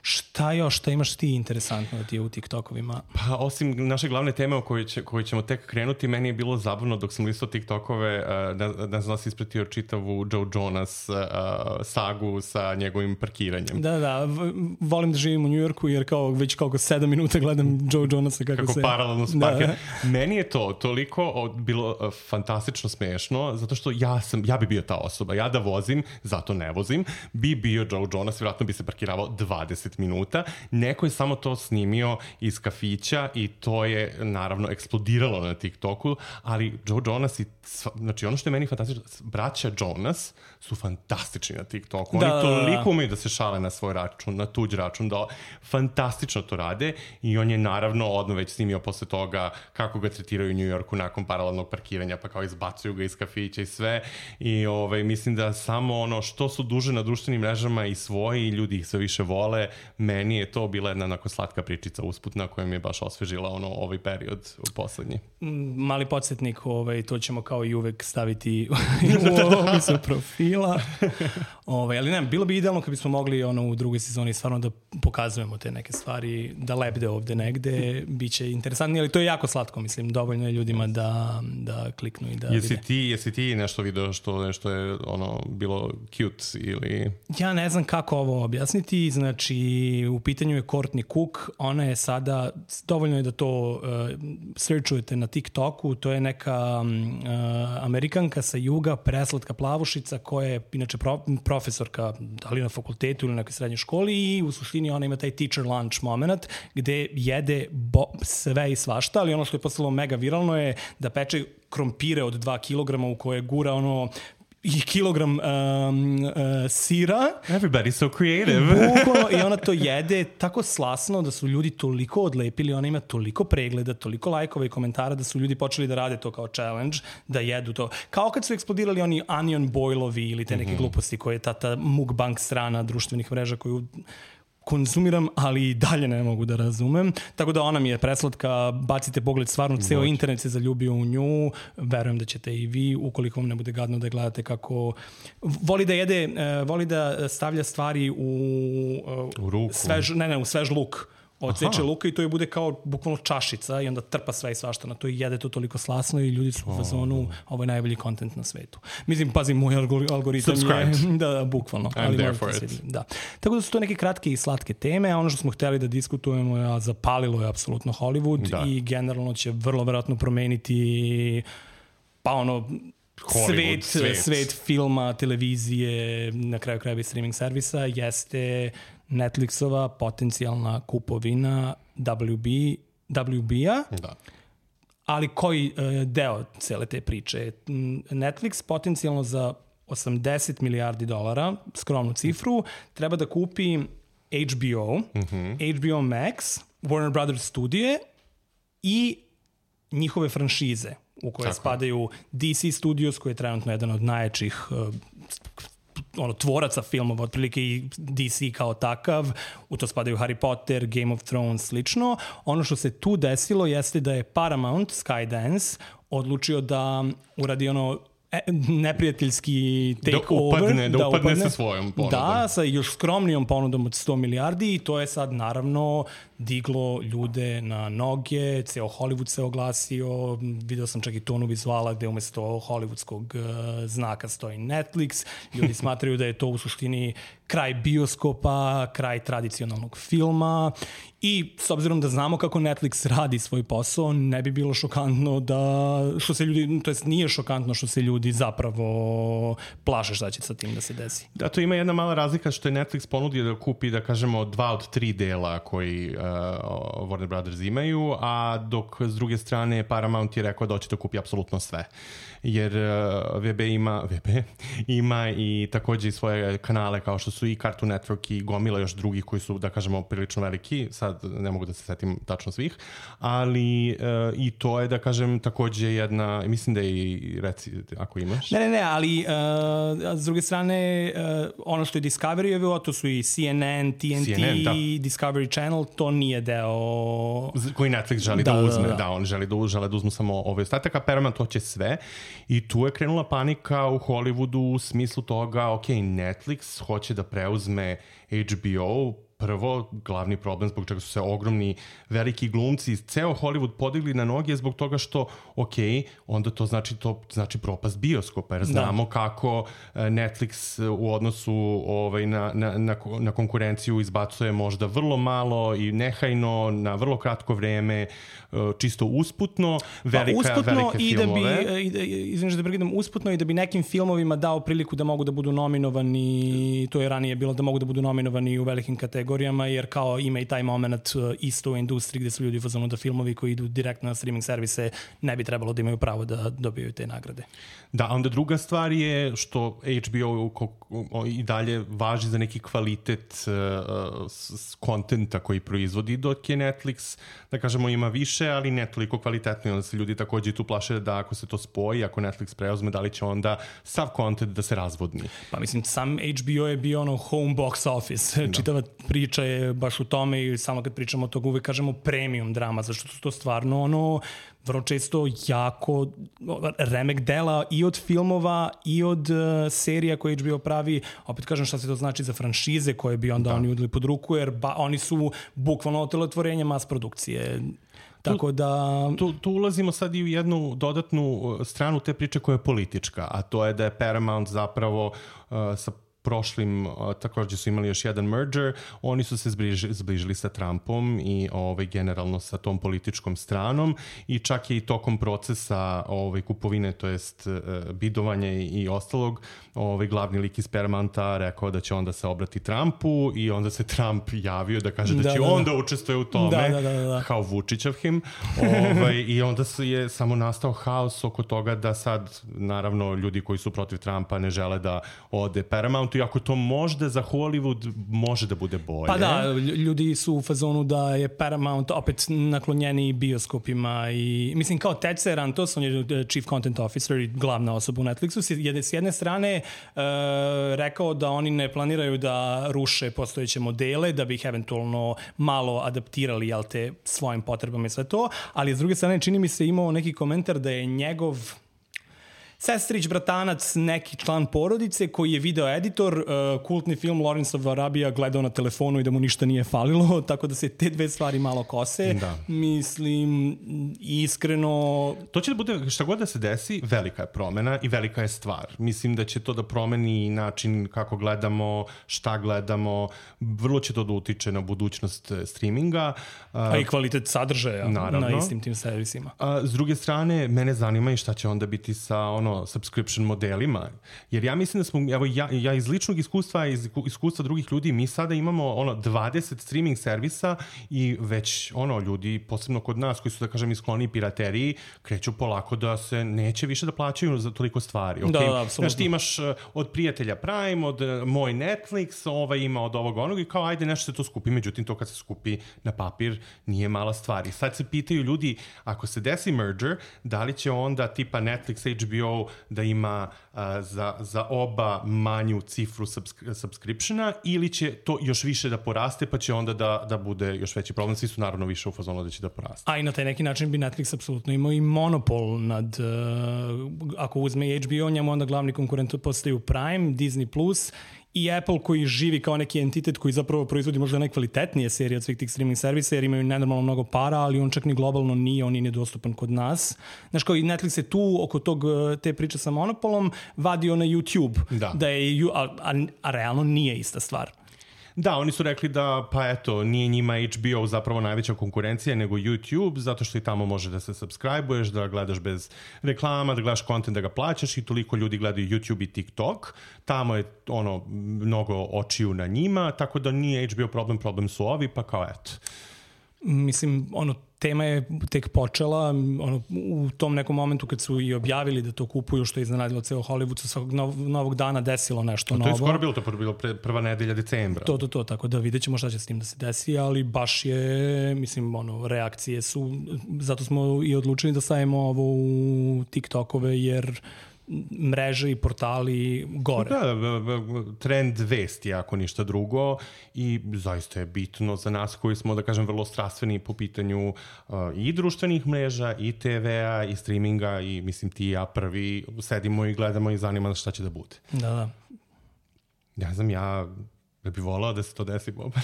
Šta još, šta imaš ti interesantno da ti je u TikTokovima? Pa osim naše glavne teme o kojoj ćemo tek krenuti, meni je bilo zabavno dok sam listao TikTokove, da znam da si ispratio čitavu Joe Jonas sagu sa njegovim parkiranjem. Da, volim da živim u Njujorku jer već 7 minuta gledam Joe Jonasa kako se... paralelno s parkira. Meni je to toliko bilo fantastično smešno, zato što ja bi bio ta osoba. Ja da vozim, zato ne vozim, bi bio Joe Jonas, vjerojatno bi se parkirao 20 minuta. Neko je samo to snimio iz kafića i to je naravno eksplodiralo na TikToku, ali Joe Jonas znači ono što je meni fantastično, braća Jonas su fantastični na TikToku. Oni toliko umeju da se šale na svoj račun, na tuđ račun, da fantastično to rade i on je naravno odmah već snimio posle toga kako ga tretiraju u New Yorku nakon paralelnog parkiranja, pa kao izbacuju ga iz kafića i sve. I mislim da samo što su duže na društvenim mrežama i svoji ljudi ih sve više vole, meni je to bila jedna onako slatka pričica usputna koja mi je baš osvežila ovaj period poslednji. Mali podsjetnik, to ćemo kao i uvek staviti u opisu profila. Ali ne, bilo bi idealno kad bismo mogli u drugoj sezoni stvarno da pokazujemo te neke stvari, da lebde ovde negde, bit će interesantnije, ali to je jako slatko, mislim, dovoljno je ljudima da kliknu i da vide. Jesi ti nešto video što je bilo cute ili... Ja ne znam kako ovo objasniti, znači u pitanju je Courtney Cook, ona je sada, dovoljno je da to searchujete na TikToku, to je neka Amerikanka sa juga, preslatka plavušica koja je inače profesorka, da li na fakultetu ili na nekoj srednjoj školi, i u suštini ona ima taj teacher lunch moment gde jede sve i svašta, ali ono što je postalo mega viralno je da peče krompire od 2 kilograma u koje gura i kilogram sira. Everybody's so creative. Bukvalno, i ona to jede tako slasno da su ljudi toliko odlepili, ona ima toliko pregleda, toliko lajkova i komentara da su ljudi počeli da rade to kao challenge, da jedu to. Kao kad su eksplodirali oni onion boilovi ili te neke gluposti koje je ta mukbang strana društvenih mreža koju konzumiram, ali i dalje ne mogu da razumem. Tako da ona mi je preslatka, bacite pogled, stvarno ceo internet se zaljubio u nju, verujem da ćete i vi, ukoliko vam ne bude gadno da gledate kako voli da jede, voli da stavlja stvari u ruku. U svež luk. Odseče luka i to je bude kao bukvalno čašica i onda trpa sve i svašta na to i jede to toliko slasno i ljudi su u fazonu, ovo je najbolji kontent na svetu. Mislim, pazim, moj algoritam je... Da, bukvalno. I'm there for it. Da. Tako da su to neke kratke i slatke teme, a ono što smo hteli da diskutujemo je zapalilo je apsolutno Hollywood i generalno će vrlo verovatno promeniti svet filma, televizije, na kraju krajeva i streaming servisa, jeste Netflixova potencijalna kupovina WB-a. Da. Ali koji deo cele te priče? Netflix potencijalno za $80 milijardi, skromnu cifru, treba da kupi HBO, HBO Max, Warner Brothers studije i njihove franšize u koje spadaju DC Studios, koji je trenutno jedan od najjačih tvoraca filmova, otprilike i DC kao takav, u to spadaju Harry Potter, Game of Thrones, slično. Ono što se tu desilo jeste da je Paramount, Skydance, odlučio da uradi neprijateljski takeover. Da upadne sa svojom ponudom. Da, sa još skromnijom ponudom od 100 milijardi i to je sad naravno diglo ljude na noge, ceo Hollywood se oglasio, video sam čak i tonu vizuala gde umesto hollywoodskog znaka stoji Netflix, ljudi smatraju da je to u suštini kraj bioskopa, kraj tradicionalnog filma i s obzirom da znamo kako Netflix radi svoj posao, ne bi bilo šokantno nije šokantno što se ljudi zapravo plaše šta će sa tim da se desi. Da, to ima jedna mala razlika što je Netflix ponudio da kupi, da kažemo, 2 od 3 dela koji Warner Brothers imaju, a dok s druge strane Paramount je rekao da hoće da kupi apsolutno sve. Jer VB ima i takođe i svoje kanale kao što su i Cartoon Network i gomila još drugih koji su, da kažemo, prilično veliki, sad ne mogu da se setim tačno svih, ali i to je, da kažem, takođe jedna, mislim da je i, reci, ako imaš. Ne, ali s druge strane, ono što je Discovery, to su i CNN, TNT, Discovery Channel, to nije deo koji Netflix želi da uzme. Da, on žele da uzmu samo ove ostataka, Paramount hoće sve i tu je krenula panika u Hollywoodu u smislu toga, ok, Netflix hoće da preuzme HBO, prvo, glavni problem zbog čega su se ogromni veliki glumci iz ceo Hollywood podigli na noge zbog toga što, ok, onda to znači propast bioskopa, jer znamo kako Netflix u odnosu na konkurenciju izbacuje možda vrlo malo i nehajno, na vrlo kratko vreme, čisto usputno, velike filmove. Izvinite da prekidam, usputno i da bi nekim filmovima dao priliku da mogu da budu nominovani, to je ranije bilo, da mogu da budu nominovani u velikim kategorijama, jer kao ima i taj moment isto u industriji gde su ljudi fazonu da filmovi koji idu direktno na streaming servise ne bi trebalo da imaju pravo da dobiju te nagrade. Da, onda druga stvar je što HBO i dalje važi za neki kvalitet kontenta koji proizvodi, dok je Netflix, da kažemo, ima više, ali ne toliko kvalitetno. Onda se ljudi takođe tu plaše da ako se to spoji, ako Netflix preuzme, da li će onda sav kontent da se razvodni. Pa mislim, sam HBO je bio home box office. Čitava priča je baš u tome i samo kad pričamo o toga uvek kažemo premium drama, zašto su to stvarno vrlo često jako remek dela i od filmova i od serija koje HBO pravi. Opet kažem šta se to znači za franšize koje bi onda oni udali pod ruku, jer oni su bukvalno otelotvorenje mas produkcije. Tako da... Tu ulazimo sad i u jednu dodatnu stranu te priče koja je politička, a to je da je Paramount zapravo sa prošlim, takođe su imali još jedan merger, oni su se zbližili sa Trumpom i generalno sa tom političkom stranom i čak je i tokom procesa kupovine, to jest bidovanja i ostalog, glavni lik iz Paramounta rekao da će onda se obrati Trumpu i onda se Trump javio da kaže da će onda učestvuje u tome, kao Vučićev him, i onda je samo nastao haos oko toga da sad, naravno, ljudi koji su protiv Trumpa ne žele da ode Paramount, i ako to možda za Hollywood može da bude bolje. Pa da, ljudi su u fazonu da je Paramount opet naklonjeni bioskopima i mislim kao Ted Sarantos, on je Chief Content Officer i glavna osoba u Netflixu, s jedne strane rekao da oni ne planiraju da ruše postojeće modele, da bi ih eventualno malo adaptirali, svojim potrebama i sve to, ali s druge strane čini mi se imao neki komentar da je njegov sestrić, bratanac, neki član porodice koji je video editor, kultni film Lawrence of Arabia gledao na telefonu i da mu ništa nije falilo, tako da se te dve stvari malo kose. Da. Mislim, iskreno... To će da bude, šta god da se desi, velika je promena i velika je stvar. Mislim da će to da promeni način kako gledamo, šta gledamo, vrlo će to da utiče na budućnost streaminga. A i kvalitet sadržaja na istim tim servisima. S druge strane, mene zanima i šta će onda biti sa subscription modelima, jer ja mislim da smo, evo ja iz ličnog iskustva, iz iskustva drugih ljudi, mi sada imamo 20 streaming servisa i već ljudi, posebno kod nas koji su, da kažem, skloni pirateriji, kreću polako da se neće više da plaćaju za toliko stvari. Okay? Da, apsolutno. Znaš, ti imaš od prijatelja Prime, od moj Netflix, ima od onog i kao ajde nešto se to skupi, međutim to kad se skupi na papir nije mala stvar. I sad se pitaju ljudi, ako se desi merger, da li će onda tipa Netflix, HBO da ima za oba manju cifru subscriptiona ili će to još više da poraste pa će onda da bude još veći problem. Svi su naravno više u fazonu da će da poraste. A i na taj neki način bi Netflix apsolutno imao i monopol nad, ako uzme HBO, njemu onda glavni konkurent postaju Prime, Disney+, i Apple koji živi kao neki entitet koji zapravo proizvodi možda najkvalitetnije serije od svih tih streaming servisa jer imaju nenormalno mnogo para, ali on čak ni globalno nije, on je nedostupan kod nas. Znaš, kao i Netflix je tu oko te priče sa monopolom vadio na YouTube. Da je, a realno nije ista stvar. Da, oni su rekli da, pa eto, nije njima HBO zapravo najveća konkurencija nego YouTube, zato što i tamo može da se subscribe-uješ, da gledaš bez reklama, da gledaš content, da ga plaćaš i toliko ljudi gledaju YouTube i TikTok. Tamo je mnogo očiju na njima, tako da nije HBO problem su ovi, pa kao eto. Mislim, tema je tek počela, u tom nekom momentu kad su i objavili da to kupuju, što je iznenadilo ceo Hollywood, sa svakog novog dana desilo nešto novo. To je skoro bilo, to je bilo prva nedelja decembra. To, tako da vidjet ćemo šta će s tim da se desi, ali baš je, mislim, reakcije su, zato smo i odlučili da stavimo ovo u TikTokove, jer mreže i portali gore. Da, trend vesti, ako ništa drugo, i zaista je bitno za nas koji smo, da kažem, vrlo strastveni po pitanju i društvenih mreža, i TV-a, i streaminga, i mislim ti i ja prvi sedimo i gledamo i zanima šta će da bude. Da. Ne znam, ja bih volao da se to desi, Boban.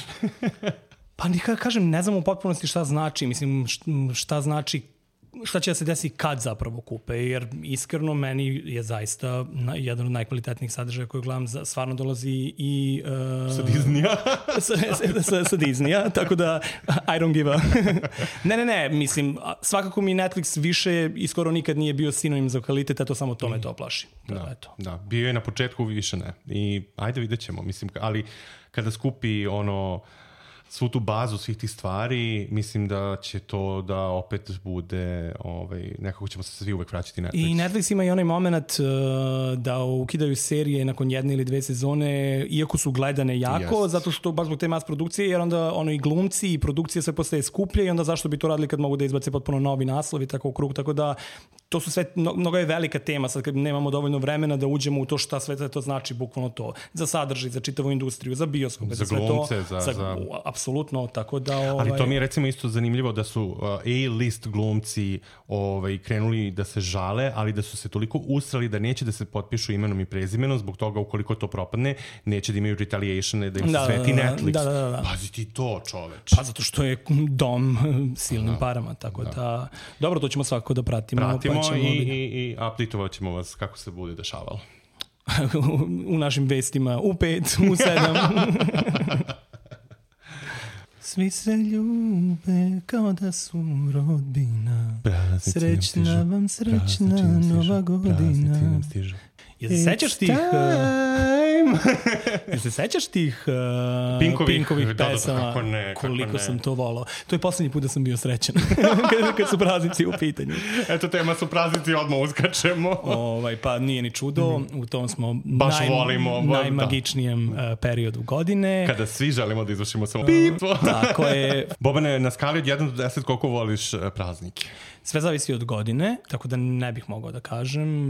Pa nikada kažem, ne znam u potpunosti šta znači, mislim, šta znači šta će da se desi kad zapravo kupe, jer iskreno meni je zaista jedan od najkvalitetnijih sadržaja koje gledam stvarno dolazi i sa Disneya. sa Disneya, tako da I don't give a... ne, mislim, svakako mi Netflix više i skoro nikad nije bio sinonim za kvalitet, a to samo to me to plaši. Da, bio je na početku, više ne. I ajde vidjet ćemo, mislim, ali kada skupi svu tu bazu svih tih stvari, mislim da će to da opet bude, nekako ćemo se svi uvek vraćati Netflix. I Netflix ima i onaj moment da ukidaju serije nakon 1 ili 2 sezone, iako su gledane jako, zato što baš zbog te mas produkcije, jer onda i glumci i produkcija sve postaje skuplje i onda zašto bi to radili kad mogu da izbace potpuno novi naslov i tako u krug, tako da to su sve, mnogo je velika tema, sad kad nemamo dovoljno vremena da uđemo u to šta sve to znači, bukvalno to, za sadržaj, za čitavu industriju, za bioskope, za glumce, apsolutno, tako da... Ali to mi je recimo isto zanimljivo da su A-list glumci krenuli da se žale, ali da su se toliko usrali da neće da se potpišu imenom i prezimenom, zbog toga ukoliko to propadne, neće da imaju retaliatione, da im se sveti Netflix. Da. Pazi ti to, čoveč. Pa zato što je dom silnim parama, tako da... Dobro, to ćemo svakako da pratimo i update-ovat ćemo vas kako se bude dešavalo. U našim vestima, u 5, u 7. Svi se ljube kao da su rodbina. Srećna vam, srećna nova godina. Jel se sećaš tih Pinkovih pesama? Koliko sam to volao. To je poslednji put da sam bio srećan. Kad su praznici u pitanju. Eto, tema su praznici, odmah uskačemo. Pa nije ni čudo. U tom smo najmagičnijem periodu godine. Kada svi želimo da izvršimo samo pitvo. Tako je. Bobane, na skali od 1 do 10 koliko voliš praznike? Sve zavisi od godine, tako da ne bih mogao da kažem.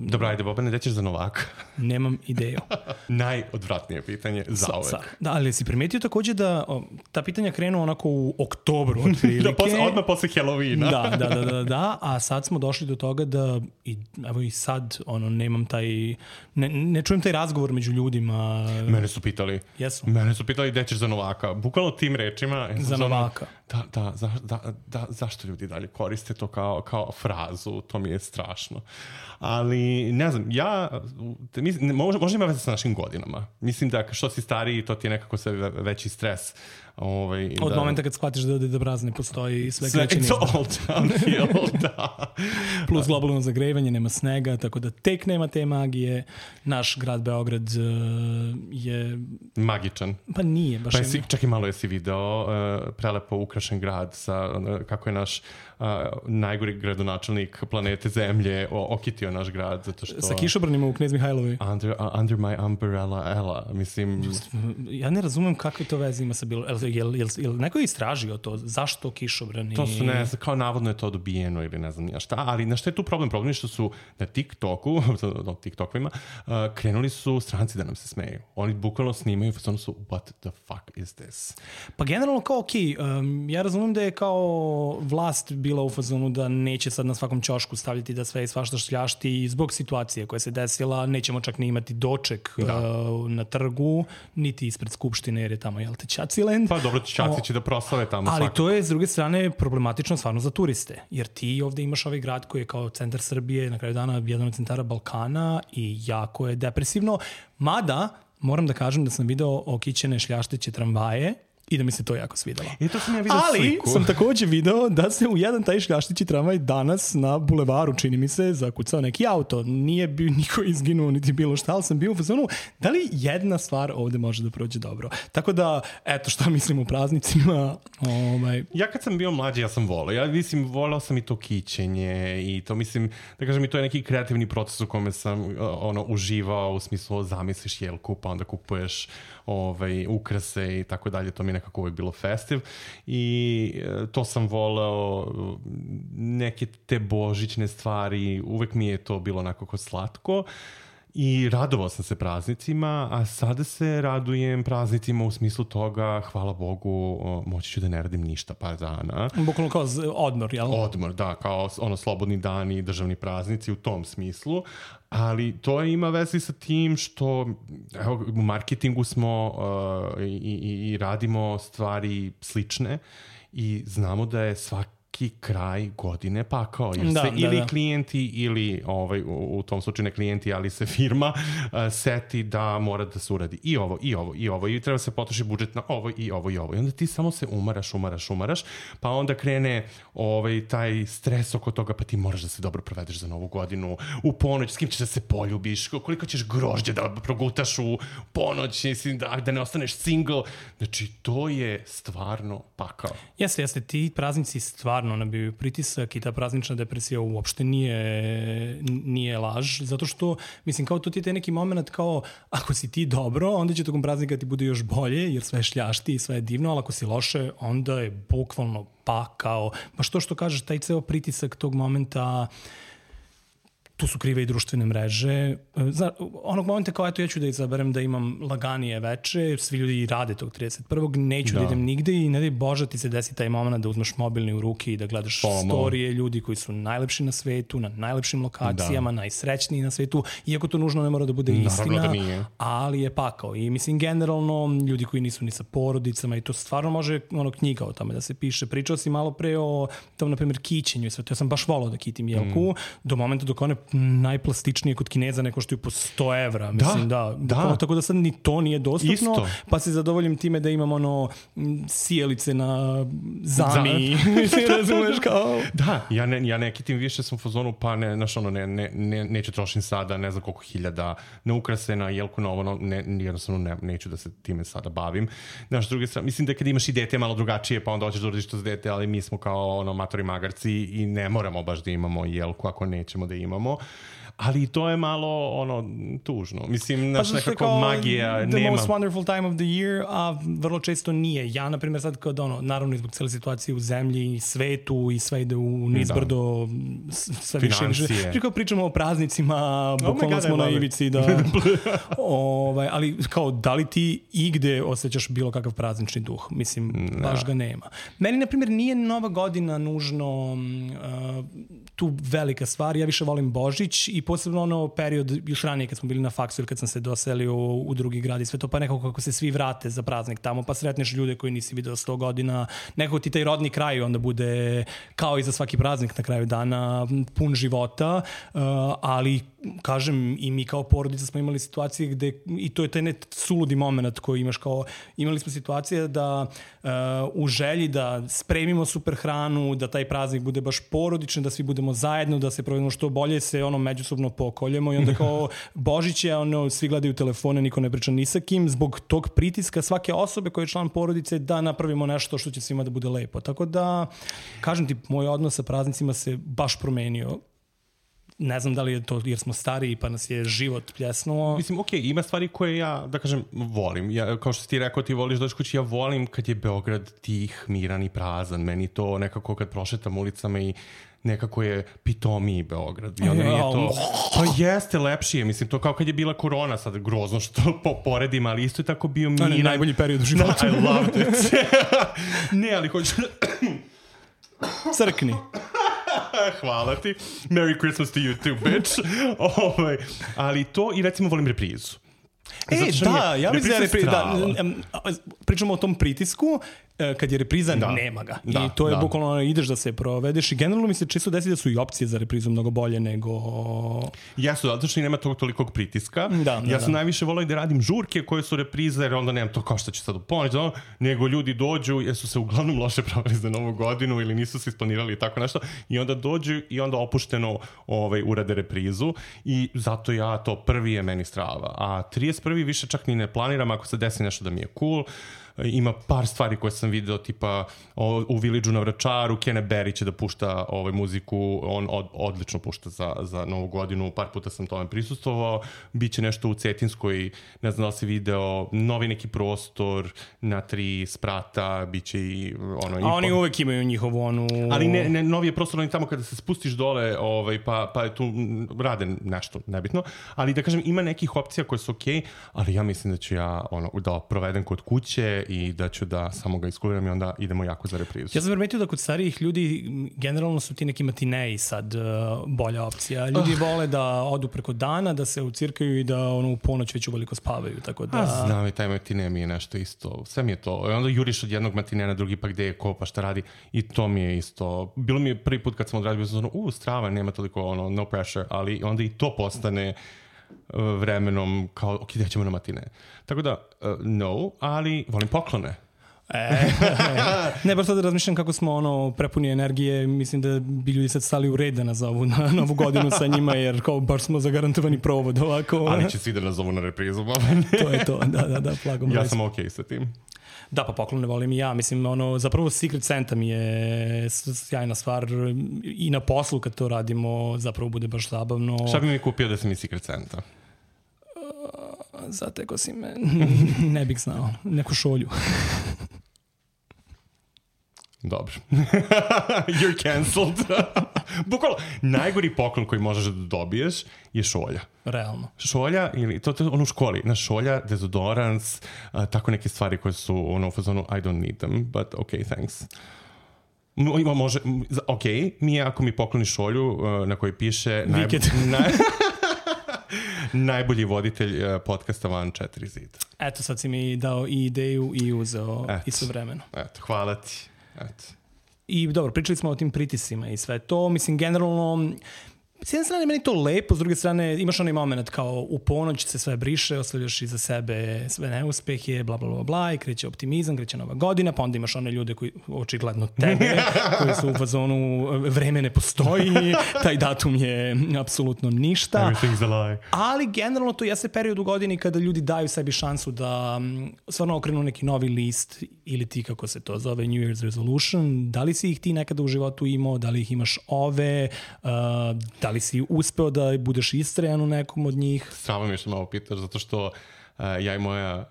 Dobro, ajde, Bobane, gde ćeš za Novaka? Nemam ideju. Najodvratnije pitanje za uvek. Da, ali si primetio takođe da ta pitanja krenu onako u oktobru otprilike. Odmah posle Halloweena. Da, a sad smo došli do toga da, evo i sad, nemam taj, ne čujem taj razgovor među ljudima. Mene su pitali. Jesu. Mene su pitali gde ćeš za Novaka. Bukvalno tim rečima. Za Novaka. Da, zašto ljudi dalje koriste to kao frazu, to mi je strašno. Ali, ne znam, možda ima veze sa našim prošlim godinama. Mislim da što si stariji, to ti je nekako sve veći stres. Od momenta kad shvatiš da Deda Mraz ne postoji i sve kreće nizda. It's all downhill, da. Plus globalno zagrevanje, nema snega, tako da tek nema te magije. Naš grad Beograd je... magičan. Pa nije baš. Čak i malo jesi video prelepo ukrašen grad sa, kako je naš najgori gradonačelnik planete Zemlje okitio naš grad, zato što... Sa kišobranima u Knez Mihajlovoj. Under my umbrella, Ella, mislim... Ja ne razumem kakve to veze ima sa bilo... Jel neko je istražio to? Zašto kišobrani? To su, ne znam, kao navodno je to dobijeno ili ne znam šta, ali na šta je tu problem? Problem je što su na TikToku, na TikTokovima, krenuli su stranci da nam se smeju. Oni bukvalno snimaju, ono su, what the fuck is this? Pa generalno kao ja razumem da je kao vlast bila u fazonu da neće sad na svakom ćošku stavljati da sve i svašta šljašti i zbog situacije koja se desila, nećemo čak ni imati doček na trgu, niti ispred Skupštine, jer je tamo, jel te, Čaciland. Pa dobro, Čaci će da proslave tamo. Ali to je, s druge strane, problematično stvarno za turiste, jer ti ovde imaš ovaj grad koji je kao centar Srbije, na kraju dana jedan od centara Balkana i jako je depresivno. Mada, moram da kažem da sam video okićene šljašteće tramvaje i da mi se to jako svidelo. To sam ja vidio sliku. Ali sam takođe video da se u jedan taj šljaštići tramvaj danas na bulevaru, čini mi se, zakucao neki auto. Nije bio niko izginuo niti bilo šta, ali sam bio u fazonu da li jedna stvar ovde može da prođe dobro. Tako da, eto šta mislim o praznicima. Ja kad sam bio mlađi, ja sam volao. Ja mislim, volao sam i to kićenje i to mislim, da kažem, i to je neki kreativni proces u kome sam uživao, u smislu zamisliš jelku, pa onda kupuješ ukrase i tako dalje. To mi je nekako uvijek bilo festiv i to sam voleo, neke te božićne stvari, uvijek mi je to bilo onako slatko i radovao sam se praznicima, a sada se radujem praznicima u smislu toga, hvala Bogu, moći ću da ne radim ništa par dana. Bukvalno kao odmor, jel? Odmor, da, kao slobodni dani i državni praznici u tom smislu. Ali to ima veze sa tim što u marketingu smo i radimo stvari slične i znamo da je svaki kraj godine pakao. Jer se ili klijenti ili u tom slučaju ne klijenti, ali se firma seti da mora da se uradi i ovo i treba se potroši budžet na ovo i ovo. I onda ti samo se umaraš, pa onda krene taj stres oko toga, pa ti moraš da se dobro provedeš za novu godinu, u ponoć, s kim ćeš da se poljubiš, koliko ćeš grožđe da progutaš u ponoć, da ne ostaneš single. Znači, to je stvarno pakao. Jeste, ti praznici stvarno nabiju pritisak i ta praznična depresija uopšte nije laž, zato što, mislim, kao to ti je neki moment kao, ako si ti dobro, onda će tokom praznika ti bude još bolje, jer sve je šljašti i sve je divno, ali ako si loše, onda je bukvalno pakao. Baš to što kažeš, taj ceo pritisak tog momenta, tu su krive i društvene mreže. Onog momenta kao, eto, ja ću da izaberem da imam laganije veče, svi ljudi rade tog 31. Neću da idem nigde i ne daj Bože ti se desi taj moment da uzmeš mobilni u ruke i da gledaš storije ljudi koji su najlepši na svetu, na najlepšim lokacijama, najsrećniji na svetu, iako to nužno ne mora da bude istina, ali je pakao. I mislim, generalno, ljudi koji nisu ni sa porodicama i to stvarno može knjiga o tome da se piše. Pričao si malo pre o tom, na primjer, kićenju i sve to. Ja sam baš volao da kitim jelku do momenta dok one najplastičnije kod Kineza ne koštaju po 100 evra. Mislim, da. Tako da sad ni to nije dostupno. Isto. Pa se zadovoljim time da imam sijelice na zami. Razumeš kao... Da, ja ne kitim više, sam u fazonu, pa neću trošim sada, ne znam koliko hiljada, na ukrase, na jelku, na ovo, jednostavno neću da se time sada bavim. Znaš, s druge strane, mislim da kad imaš i dete malo drugačije, pa onda hoćeš da uradiš to za dete, ali mi smo kao matori magarci i ne moramo baš da imamo jelku ako nećemo da imamo. Ali to je malo tužno. Mislim, nekako magija nema. The most wonderful time of the year, a vrlo često nije. Ja, na primjer, sad kad naravno zbog cijele situacije u zemlji i svetu i sve ide u nizbrdo, sve više. Kao pričamo o praznicima, bukvalno smo na ivici. Ali kao, da li ti igde osjećaš bilo kakav praznični duh? Mislim, baš ga nema. Meni, na primjer, nije Nova godina nužno tu velika stvar. Ja više volim Božić i posebno period još ranije kad smo bili na faksu ili kad sam se doselio u drugi grad i sve to, pa nekako kako se svi vrate za praznik tamo, pa sretneš ljude koji nisi video 100 godina, nekako ti taj rodni kraj onda bude kao i za svaki praznik na kraju dana pun života, ali kažem, i mi kao porodica smo imali situacije gde, i to je taj suludi moment koji imaš kao, imali smo situacije da u želji da spremimo super hranu, da taj praznik bude baš porodičan, da svi budemo zajedno, da se provedemo što bolje, se međusobno pokoljemo i onda kao Božić je, svi gledaju telefone, niko ne priča ni sa kim, zbog tog pritiska svake osobe koja je član porodice da napravimo nešto što će svima da bude lepo. Tako da, kažem ti, moj odnos sa praznicima se baš promenio. Ne znam da li je to jer smo stariji pa nas je život pljesnuo. Mislim, okej, ima stvari koje ja, da kažem, volim. Ja, kao što si ti rekao, ti voliš doći kući, ja volim kad je Beograd tih, miran i prazan. Meni to nekako kad prošetam ulicama i nekako je pitomiji Beograd. I onda je to, pa jeste, lepši je. Mislim, to kao kad je bila korona, sad grozno što poredim, ali isto je tako bio miran. To je najbolji period u životu. I loved it. Ne, ali hoću... Crkni. Hvala ti. Merry Christmas to you too, bitch. Ali to i recimo volim reprizu. Ja mislim pričamo o tom pritisku, kad je repriza, nema ga. I to je bukvalno ideš da se provedeš i generalno mi se često desi da su i opcije za reprizu mnogo bolje nego... Jesu, zato što i nema tolikog pritiska. Ja sam najviše volao i da radim žurke koje su reprize, jer onda nemam to kao što će sad u ponoć, nego ljudi dođu jer su se uglavnom loše proveli za Novu godinu ili nisu se isplanirali i tako nešto i onda dođu i onda opušteno urade reprizu i zato ja to prvi je meni strava. A 31. više čak ni ne planiram ako se desi nešto da mi je cool. Ima par stvari koje sam video, tipa u Village-u na Vračaru, Kene Berry će da pušta muziku, on odlično pušta za Novu godinu, par puta sam tome prisustvovao, biće nešto u Cetinskoj, ne znam da li si video, novi neki prostor na 3 sprata, biće i A oni uvek imaju njihovu Ali ne novi je prostor, oni tamo kada se spustiš dole, pa je tu rade nešto, nebitno, ali da kažem, ima nekih opcija koje su okej, ali ja mislim da ću ja da provedem kod kuće i da ću da samo ga iskuliram i onda idemo jako za reprizu. Ja sam primetio da kod starijih ljudi generalno su ti neki matineji sad bolja opcija. Ljudi vole da odu preko dana, da se ucirkaju i da u ponoć već uveliko spavaju. Tako da... Znam i taj matine mi je nešto isto. Sve mi je to. I onda juriš od jednog matinea na drugi, pa gde je ko, pa šta radi. I to mi je isto. Bilo mi je prvi put kad sam odradio, strava, nema toliko no pressure, ali onda i to postane vremenom kao, ok, da ćemo na matine. Tako da, no, ali volim poklone. Ne, baš sad razmišljam kako smo prepuni energije, mislim da bi ljudi sad stali u red da nazovu na Novu godinu sa njima, jer kao baš smo zagarantovani provod ovako. Ali će svi da nazovu na reprizu. To je to, da, plagom. Ja sam okej sa tim. Da, pa poklone volim i ja. Mislim, zapravo Secret Santa mi je sjajna stvar i na poslu kad to radimo zapravo bude baš zabavno. Šta bi mi kupio da sam i Secret Santa? Zateko si me. Ne bih znao. Neku šolju. Dobro. You're cancelled. Bukvalno, najgori poklon koji možeš da dobiješ je šolja. Realno. Šolja, ili to je u školi, šolja, dezodorans, tako neke stvari koje su u fazonu I don't need them, but okay, thanks. Može, mi je ako mi pokloni šolju na kojoj piše najbolji voditelj podcasta Van 4 zida. Eto, sad si mi dao i ideju i uzeo istovremeno. Eto, hvala ti. Eto. I dobro, pričali smo o tim pritisima i sve to. Mislim, generalno, s jedne strane meni to lepo, s druge strane imaš onaj moment kao u ponoć se sve briše, ostavljaš iza sebe sve neuspehe, bla, bla, bla, bla, i kreće optimizam, kreće Nova godina, pa onda imaš one ljude koji, očigledno tebe, koji su u fazonu vreme ne postoji, taj datum je apsolutno ništa. Everything's a lie. Ali generalno to jeste period u godini kada ljudi daju sebi šansu da stvarno okrenu neki novi list ili ti kako se to zove New Year's Resolution. Da li si ih ti nekada u životu imao, da li ih imaš da li si uspeo da budeš istrajan u nekom od njih? Strava mi je što malo pitaš, zato što ja i moja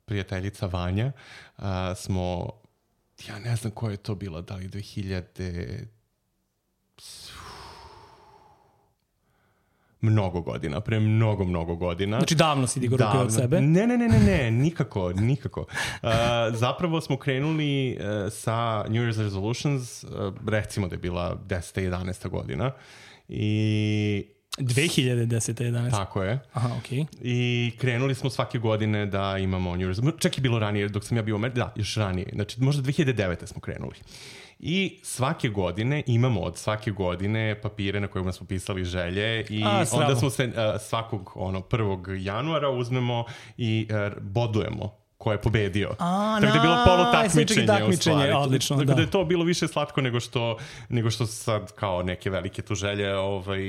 prijateljica Vanja smo, ja ne znam koja je to bila, da li 2000... Mnogo godina, pre mnogo godina. Znači davno si digao ruke od sebe? Ne, nikako. Zapravo smo krenuli sa New Year's Resolutions, recimo da je bila 10. 11. godina. I 2010-11. Tako je. Aha, okej. I krenuli smo svake godine da imamo New Year's. Čak je bilo ranije, dok sam ja bio još ranije. Znači, možda 2009. smo krenuli. I svake godine imamo od svake godine papire na kojima smo pisali želje i onda smo se svakog 1. januara uzmemo i bodujemo ko je pobedio. Tako da je bilo polutakmičenje u stvari. Odlično, tako da je to bilo više slatko nego što sad kao neke velike tu želje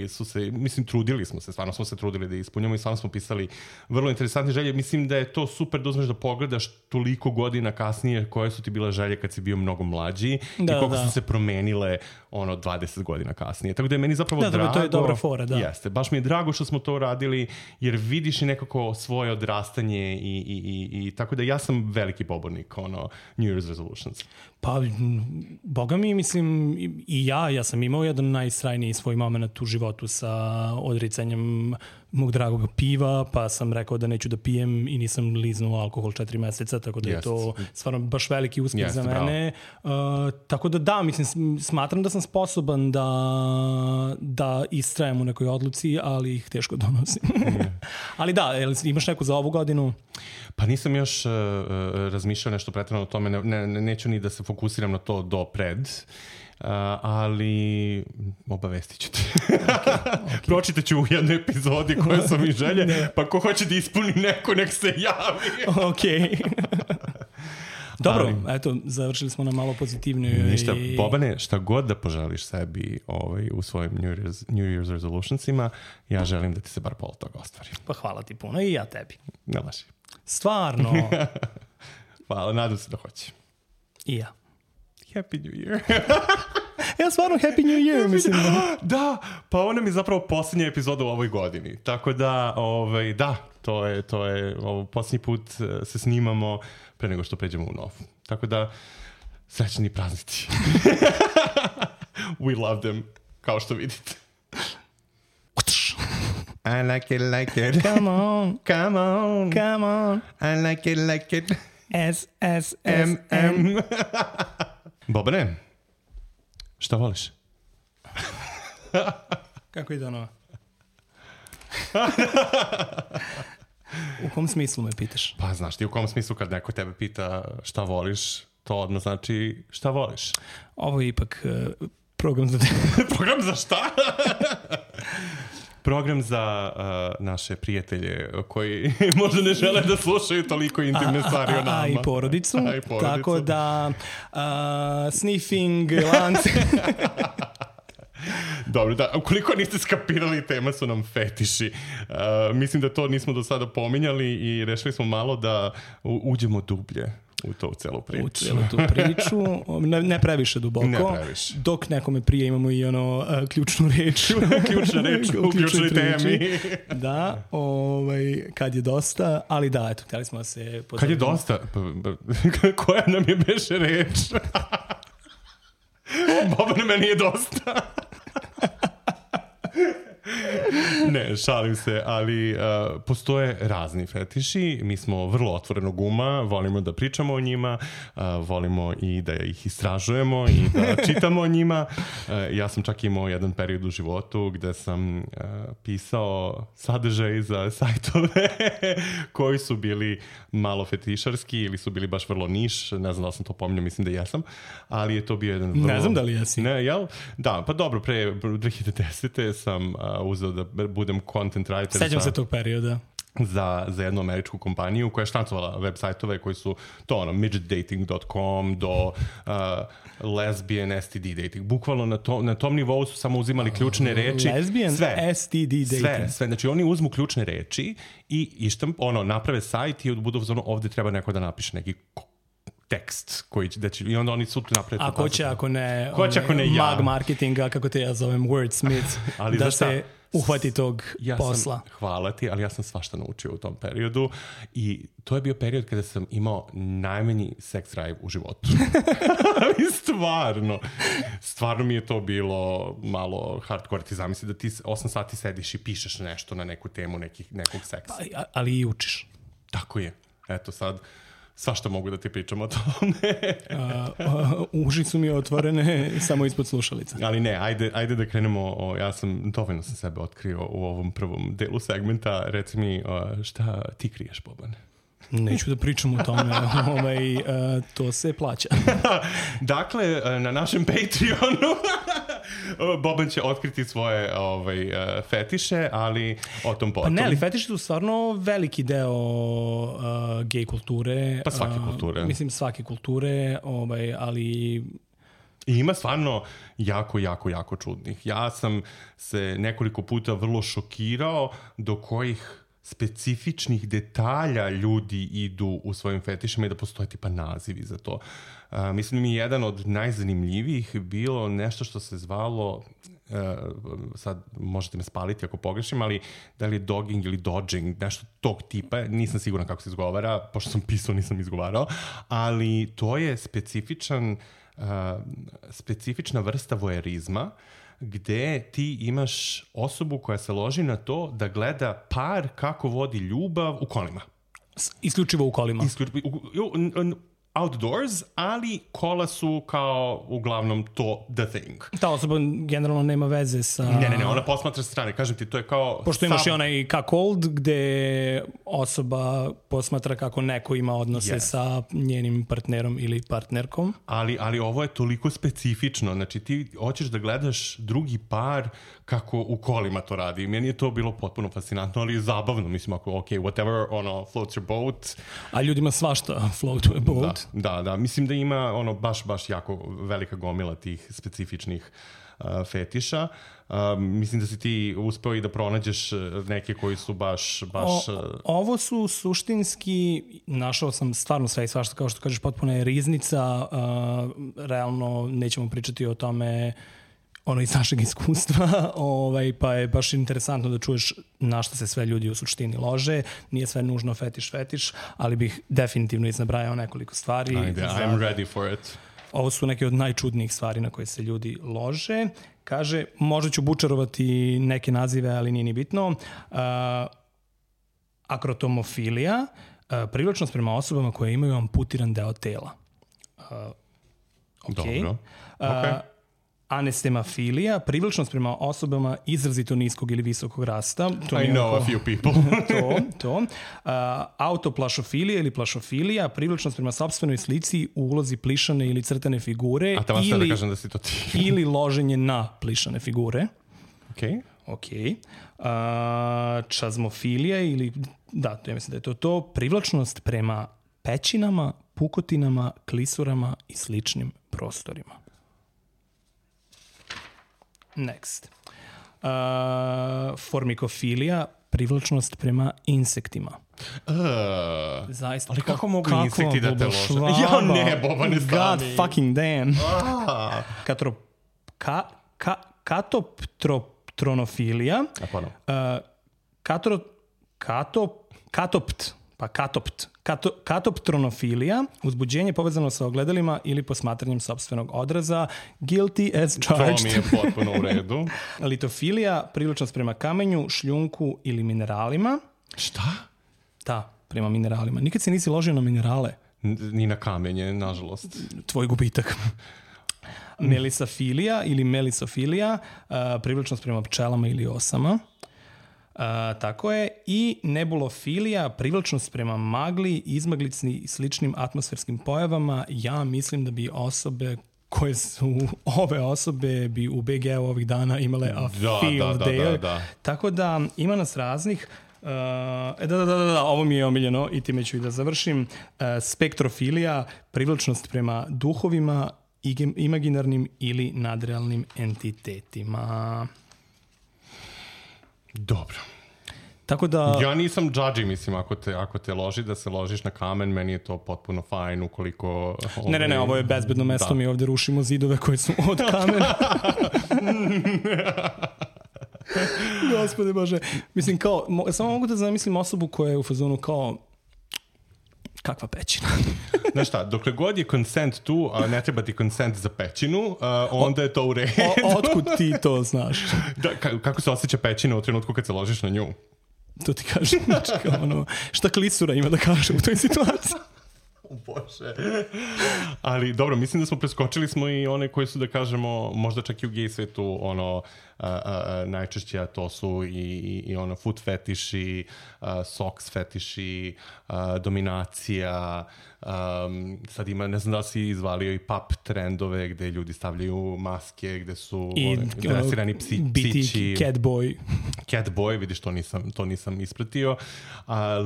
su se, mislim, trudili smo se, stvarno smo se trudili da ispunjamo i stvarno smo pisali vrlo interesantne želje. Mislim da je to super da uzmeš da pogledaš toliko godina kasnije koje su ti bile želje kad si bio mnogo mlađi i koliko su se promenile 20 godina kasnije. Tako da je meni zapravo drago. To je dobra fora, da. Jeste, baš mi je drago što smo to uradili jer vidiš i nekako svoje odrastanje i tako da ja sam veliki pobornik New Year's resolutions. Pa, boga mi, mislim, i ja sam imao jedan najsrajniji svoj moment u životu sa odricanjem mog dragog piva, pa sam rekao da neću da pijem i nisam liznuo alkohol 4 meseca, tako da je to stvarno baš veliki uspjeh za mene. Tako da, mislim, smatram da sam sposoban da istrajem u nekoj odluci, ali ih teško donosim. Ali da, imaš neku za ovu godinu? Pa nisam još razmišljao nešto pretjerano o tome, neću ni da se fokusiram na to do pred, ali obavestit ću te. Okay. Pročitat ću u jednoj epizodi koje su mi želje, pa ko hoće da ispuni neko, nek se javi. Okej. Dobro, eto, završili smo na malo pozitivnoj. Ništa, Bobane, šta god da poželiš sebi u svojim New Year's resolutionsima, ja želim da ti se bar pola toga ostvari. Pa hvala ti puno i ja tebi. Ne laži. Stvarno. Hvala, nadam se da hoće. I ja. Happy New Year. Ja stvarno Happy New Year, mislim. Da, pa ona mi je zapravo posljednja epizoda u ovoj godini. Tako da, da, to je posljednji put se snimamo pre nego što pređemo u novu. Tako da, srećni praznici. We love them, kao što vidite. I like it. Come on. Come on. Come on. I like it. S-S-S-M. Bobane, šta voliš? Kako ide ono? U kom smislu me pitaš? Pa znaš ti u kom smislu kad neko tebe pita šta voliš, to odmah znači šta voliš. Ovo je ipak program za... Program za šta? Program za naše prijatelje koji možda ne žele da slušaju toliko intimne stvari o nama. A i porodicu. Tako da sniffing, lance... Dobro, da, ukoliko niste skapirali, tema su nam fetiši. Mislim da to nismo do sada pominjali i rešili smo malo da uđemo dublje u to celu priču. U celu tu priču, ne previše duboko. Ne previše. Dok nekome prije imamo i ključnu reč. Ključna reč u ključnoj temi. Da, kad je dosta, ali da, eto, htjeli smo da se... Kad je dosta? Koja nam je beše reč? Boban, meni je dosta. Ne, šalim se, ali postoje razni fetiši. Mi smo vrlo otvorenog uma, volimo da pričamo o njima, volimo i da ih istražujemo i da čitamo o njima. Ja sam čak imao jedan period u životu gde sam pisao sadržaj za sajtove koji su bili malo fetišarski ili su bili baš vrlo niš. Ne znam da li sam to pominjao, mislim da jesam, ali je to bio jedan vrlo... Ne znam da li jesi. Ne, jel? Da, pa dobro, pre 2010. sam uzeo da budem content writer. Sećam se tog perioda. Za jednu američku kompaniju koja je štancovala web sajtove koji su to midgetdating.com do lesbian STD dating. Bukvalno na tom nivou su samo uzimali ključne reči. Lesbian STD dating. Sve. Znači oni uzmu ključne reči i naprave sajt i budu ovdje treba neko da napiše neki tekst koji i onda oni su naprave. A ko će ako ne ja. Mag marketinga, kako te ja zovem, wordsmith, da se uhvati tog posla. Hvala ti, ali ja sam svašta naučio u tom periodu i to je bio period kada sam imao najmanji sex drive u životu. Ali stvarno mi je to bilo malo hardcore. Ti zamisli da ti 8 sati sediš i pišeš nešto na neku temu nekog seksa. Ali i učiš. Tako je. Eto sad, svašta mogu da ti pričam o tome. Uši su mi otvorene samo ispod slušalica. Ali ne, ajde da krenemo. Dovoljno sam sebe otkrio u ovom prvom delu segmenta. Reci mi, šta ti kriješ, Boban? Neću da pričam o tome, to se plaća. Dakle, na našem Patreonu Boban će otkriti svoje fetiše, ali o tom potom. Pa ne, ali fetiši su stvarno veliki deo gej kulture. Pa svake kulture. Mislim, svake kulture, ali... I ima stvarno jako čudnih. Ja sam se nekoliko puta vrlo šokirao do kojih specifičnih detalja ljudi idu u svojim fetišima i da postoje tipa nazivi za to. Mislim mi jedan od najzanimljivijih bilo nešto što se zvalo, sad možete me spaliti ako pogrešim, ali da li je dogging ili dodging, nešto tog tipa, nisam siguran kako se izgovara, pošto sam pisao nisam izgovarao, ali to je specifična vrsta vojerizma gde ti imaš osobu koja se loži na to da gleda par kako vodi ljubav u kolima. Isključivo u kolima. Outdoors, ali kola su kao uglavnom to the thing. Ta osoba generalno nema veze sa... Ne, ona posmatra sa strane. Kažem ti, to je kao... Pošto imaš i onaj cuckold gde osoba posmatra kako neko ima odnose sa njenim partnerom ili partnerkom. Ali ovo je toliko specifično. Znači ti hoćeš da gledaš drugi par kako u kolima to radi. Meni je to bilo potpuno fascinantno, ali zabavno. Mislim, ako whatever, floats your boat. A ljudima svašta floatuje boat. Da. Mislim da ima baš jako velika gomila tih specifičnih fetiša. Mislim da si ti uspeo i da pronađeš neke koji su baš... Ovo su suštinski, našao sam stvarno sve i svašta, kao što kažeš, potpuno je riznica. Realno nećemo pričati o tome iz našeg iskustva, pa je baš interesantno da čuješ na što se sve ljudi u suštini lože. Nije sve nužno fetiš, ali bih definitivno iznabrajao nekoliko stvari. I'm ready for it. Ovo su neke od najčudnijih stvari na koje se ljudi lože. Kaže, možda ću bučarovati neke nazive, ali nije ni bitno. Akrotomofilija, privlačnost prema osobama koje imaju amputiran deo tela. Dobro. Anestemafilija, privlačnost prema osobama izrazito niskog ili visokog rasta. I know a few people. To. Autoplašofilija ili plašofilija, privlačnost prema sopstvenoj slici u ulozi plišane ili crtane figure. A tamo ste da kažem da si to ti. Ili loženje na plišane figure. Ok. Čazmofilija ili... Da, ja mislim da je to. Privlačnost prema pećinama, pukotinama, klisurama i sličnim prostorima. Next. Formikofilija, privlačnost prema insektima. Zaista. Ali kako mogu insekti da te lože? Ja ne, Boba, ne stani. God fucking damn. Katoptronofilija. Katoptronofilija, uzbuđenje povezano sa ogledalima ili posmatranjem sopstvenog odraza, guilty as charged. To mi je potpuno u redu. Litofilija, privlačnost prema kamenju, šljunku ili mineralima. Šta? Da, prema mineralima. Nikad se nisi ložio na minerale. Ni na kamenje, nažalost. Tvoj gubitak. Melisafilija ili melisofilija, privlačnost prema pčelama ili osama. Tako je. I nebulofilija, privlačnost prema magli, izmaglici i sličnim atmosferskim pojavama. Ja mislim da bi ove osobe bi u BG-u ovih dana imale a field day. Da. Tako da ima nas raznih. Ovo mi je omiljeno i time ću i da završim. Spektrofilija, privlačnost prema duhovima, imaginarnim ili nadrealnim entitetima. Dobro. Tako da... Ja nisam judgy, mislim, ako te loži da se ložiš na kamen, meni je to potpuno fajn ukoliko... Ne, ovo je bezbedno mesto, mi ovde rušimo zidove koje su od kamena. Gospode Bože. Mislim, kao, samo mogu da zamislim osobu koja je u fazonu kao... Kakva pećina. Znaš šta, dokle god je consent tu, a ne treba ti consent za pećinu, onda je to u redu. Otkud ti to znaš? Kako se osjeća pećina u trenutku kad se ložiš na nju? To ti kažem. Znači, šta klisura ima da kaže u toj situaciji? Bože. Ali dobro, mislim da smo preskočili smo i one koji su, da kažemo, možda čak i u gej svetu, ono, najčešće, a to su i ono foot fetiši, socks fetiši, dominacija, sad ima, ne znam da li si izvalio i pap trendove gde ljudi stavljaju maske, gde su dresirani psići. Biti catboy. Catboy, vidiš, to nisam ispratio.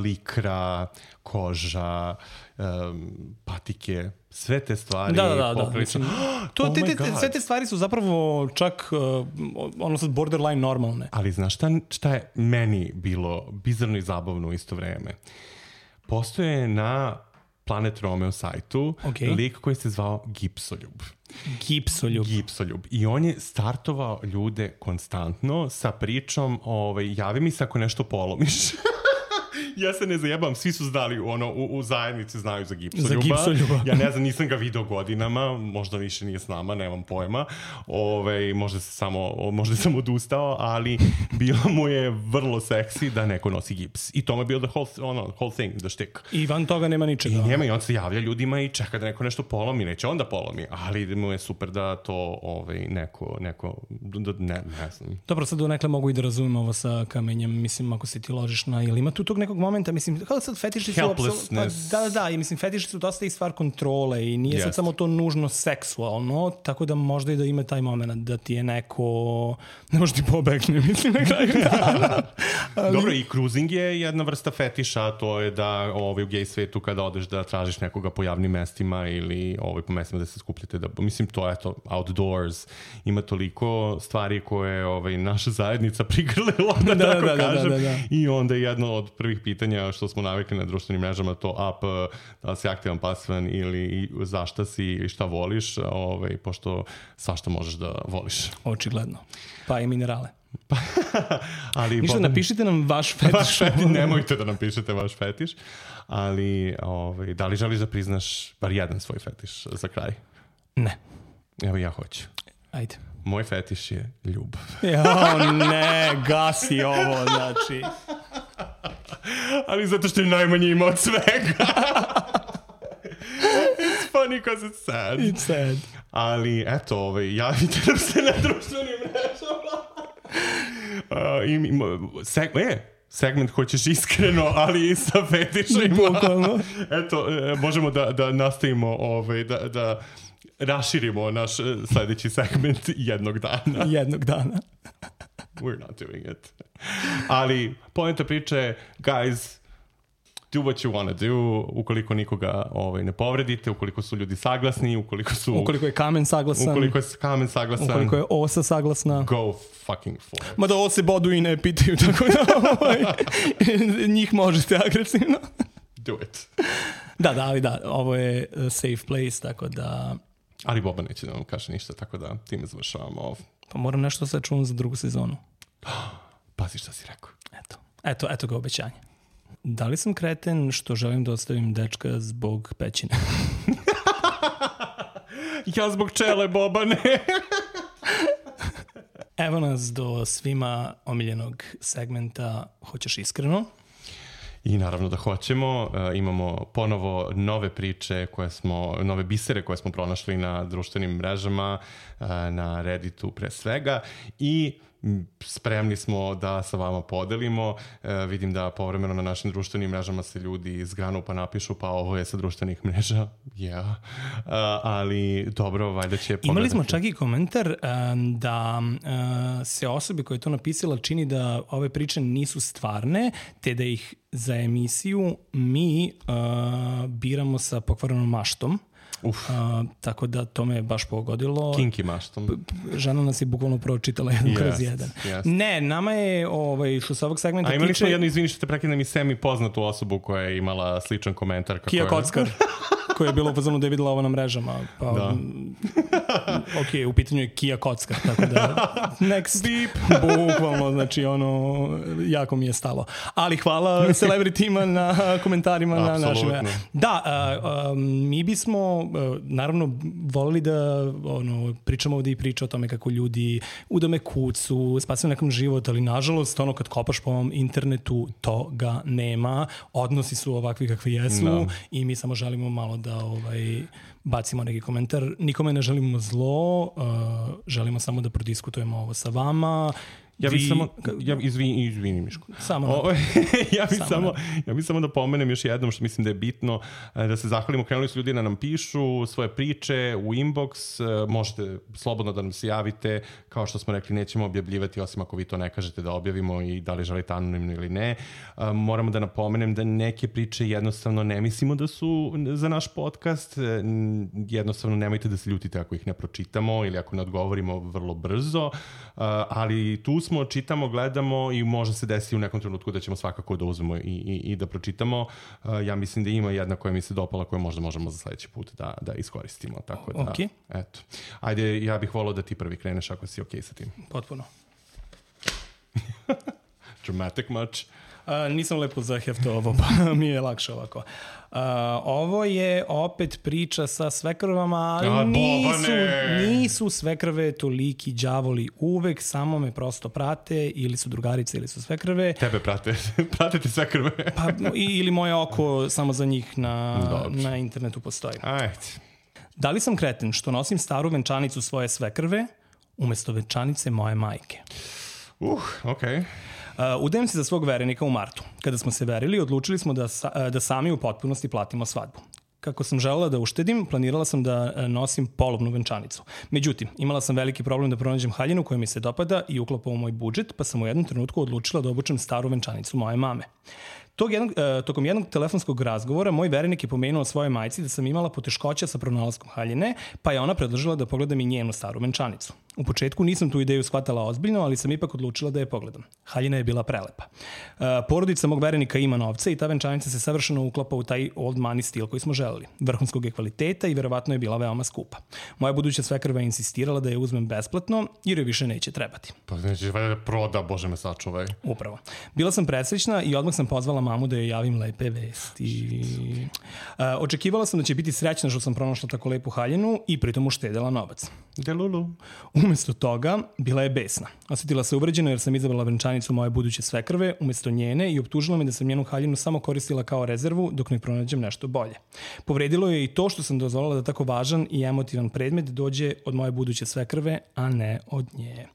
Likra, koža, patike, sve te stvari. Da. Mislim, sve te stvari su zapravo čak ono sad borderline normalne. Ali znaš šta je meni bilo bizarno i zabavno u isto vreme? Postoje na Planet Romeo sajtu lik koji se zvao Gipsoljub. Gipsoljub. I on je startovao ljude konstantno sa pričom javi mi se ako nešto polomiš. Ja se ne zajebam, svi su znali, u zajednici znaju za Gipsoljuba. Ja ne znam, nisam ga video godinama, možda više nije s nama, nemam pojma. Možda sam odustao, ali bilo mu je vrlo seksi da neko nosi gips. I to mu je bio the whole thing, the štik. I van toga nema ničega. I on se javlja ljudima i čeka da neko nešto polomi, neće onda polomi, ali mu je super da to neko ne znam. Dobro, sad donekle mogu i da razumem ovo sa kamenjem, mislim, ako se ti ložiš na, ili ima tu tog nekog momenta, mislim, kao sad fetiši su da, i mislim, fetiši su dosta i stvar kontrole i nije sad samo to nužno seksualno, tako da možda i da ima taj moment da ti je neko, ne može ti pobegne, mislim, na kraju dana. Dobro, i cruising je jedna vrsta fetiša, to je da u gej svetu kada odeš da tražiš nekoga po javnim mestima ili po mestima da se skupljate, mislim, to je to, outdoors, ima toliko stvari koje naša zajednica prigrlila, da tako kažem, i onda je jedno od prvih pitanja što smo navikli na društvenim mrežama, to da li si aktivan, pasivan ili zašta si ili šta voliš, svašta možeš da voliš. Očigledno. Pa i minerale. Ali, ništa, napišite nam vaš fetiš. Nemojte da nam pišete vaš fetiš, ali da li želiš da priznaš bar jedan svoj fetiš za kraj? Ne. Evo ja hoću. Ajde. Moj fetiš je ljubav. Ne, gasi ovo, znači. Ali zato što je najmanje ima od svega. It's funny because it's sad. It's sad. Ali, eto, javite nam se na društvenim mrežama. Segment hoćeš iskreno, ali i sa fetišima. Eto, možemo da nastavimo, da raširimo naš sledeći segment jednog dana. We're not doing it. Ali poenta priče je, guys, do what you want to do, ukoliko nikoga ne povredite, ukoliko su ljudi saglasni, ukoliko je kamen saglasan, ukoliko je osa saglasna, go fucking for it. Mada ovo se bodu i ne pitaju, tako da njih možete agresivno. Do it. Da, ovo je safe place, tako da... Ali Boba neće da vam kaže ništa, tako da time završavamo ovo. Pa moram nešto sad čuvam za drugu sezonu. Pazi šta si rekao. Eto ga obećanje. Da li sam kreten što želim da ostavim dečka zbog pećine? Ja zbog čele, Boba, ne. Evo nas do svima omiljenog segmenta Hoćeš iskreno? I naravno da hoćemo. Imamo ponovo nove priče nove bisere koje smo pronašli na društvenim mrežama, na Redditu pre svega, i spremni smo da sa vama podelimo. Vidim da povremeno na našim društvenim mrežama se ljudi zgranu pa napišu pa ovo je sa društvenih mreža. Ali dobro, valjda će pogledati. Imali smo čak i komentar da se osobi koja je to napisala čini da ove priče nisu stvarne, te da ih za emisiju mi biramo sa pokvarenom maštom. Tako da to me je baš pogodilo. Kinky maštom. Žena nas je bukvalno pročitala jedan kroz jedan. Ne, nama je što se ovog segmenta tiče... A imali smo jedno, izvini što te prekidam, i semi poznatu osobu koja je imala sličan komentar. Kija Kockar, koja je bila u fazonu da je videla ovo na mrežama. Pa, Ok, u pitanju je Kia kocka, tako da next beep, bukvalno, znači jako mi je stalo. Ali hvala celebritima na komentarima na našim. Da, mi bismo naravno volili da pričamo ovdje i priča o tome kako ljudi udome kucu, spasaju nekom život, ali nažalost kad kopaš po ovom internetu toga nema, odnosi su ovakvi kakvi jesu i mi samo želimo malo da bacimo neki komentar. Nikome ne želimo zlo, želimo samo da prodiskutujemo ovo sa vama. Izvini Miško. Ja bih samo da pomenem još jednom što mislim da je bitno, da se zahvalimo. Krenuli su ljudi da nam pišu svoje priče u inbox, možete slobodno da nam se javite, kao što smo rekli nećemo objavljivati osim ako vi to ne kažete da objavimo i da li želite anonimno ili ne. Moramo da napomenem da neke priče jednostavno ne mislimo da su za naš podcast, jednostavno nemojte da se ljutite ako ih ne pročitamo ili ako ne odgovorimo vrlo brzo, ali tu smo, čitamo, gledamo i može se desiti u nekom trenutku da ćemo svakako da uzmemo i da pročitamo. Ja mislim da ima jedna koja mi se dopala koju možda možemo za sledeći put da iskoristimo. Tako da, eto. Ajde, ja bih volao da ti prvi kreneš ako si okej sa tim. Potpuno. Dramatic much. Nisam lepo zaheftao ovo, pa mi je lakše ovako. Ovo je opet priča sa svekrvama, ali nisu svekrve toliki đavoli uvek, samo me prosto prate, ili su drugarice ili su svekrve. Tebe prate ti svekrve. Ili moje oko samo za njih na internetu postoji. Ajde. Da li sam kreten što nosim staru venčanicu svoje svekrve umesto venčanice moje majke? Okej. Udajem se za svog verenika u martu. Kada smo se verili, odlučili smo da sami u potpunosti platimo svadbu. Kako sam želela da uštedim, planirala sam da nosim polovnu venčanicu. Međutim, imala sam veliki problem da pronađem haljinu koja mi se dopada i uklapa u moj budžet, pa sam u jednom trenutku odlučila da obučem staru venčanicu moje mame. Tokom jednog telefonskog razgovora moj verenik je pomenuo svojoj majci da sam imala poteškoća sa pronalaskom haljine, pa je ona predložila da pogledam i njenu staru venčanicu. U početku nisam tu ideju shvatala ozbiljno, ali sam ipak odlučila da je pogledam. Haljina je bila prelepa. Porodica mog verenika ima novca i ta venčanica se savršeno uklapa u taj old money stil koji smo želeli. Vrhunskog je kvaliteta i verovatno je bila veoma skupa. Moja buduća svekrva je insistirala da je uzmem besplatno jer joj više neće trebati. Pa nećeš valjda da proda, Bože me sačuvaj. Upravo. Bila sam presrećna i odmah sam pozvala mamu da joj javim lepe vesti. Očekivala sam da će biti srećna što sam pronašla tako lepu haljinu i pritom uštedela novac. Delulu. Umesto toga, bila je besna. Osjetila se uvređeno jer sam izabrala venčanicu moje buduće svekrve umesto njene i optužila me da sam njenu haljinu samo koristila kao rezervu dok ne pronađem nešto bolje. Povredilo je i to što sam dozvolila da tako važan i emotivan predmet dođe od moje buduće svekrve, a ne od nje.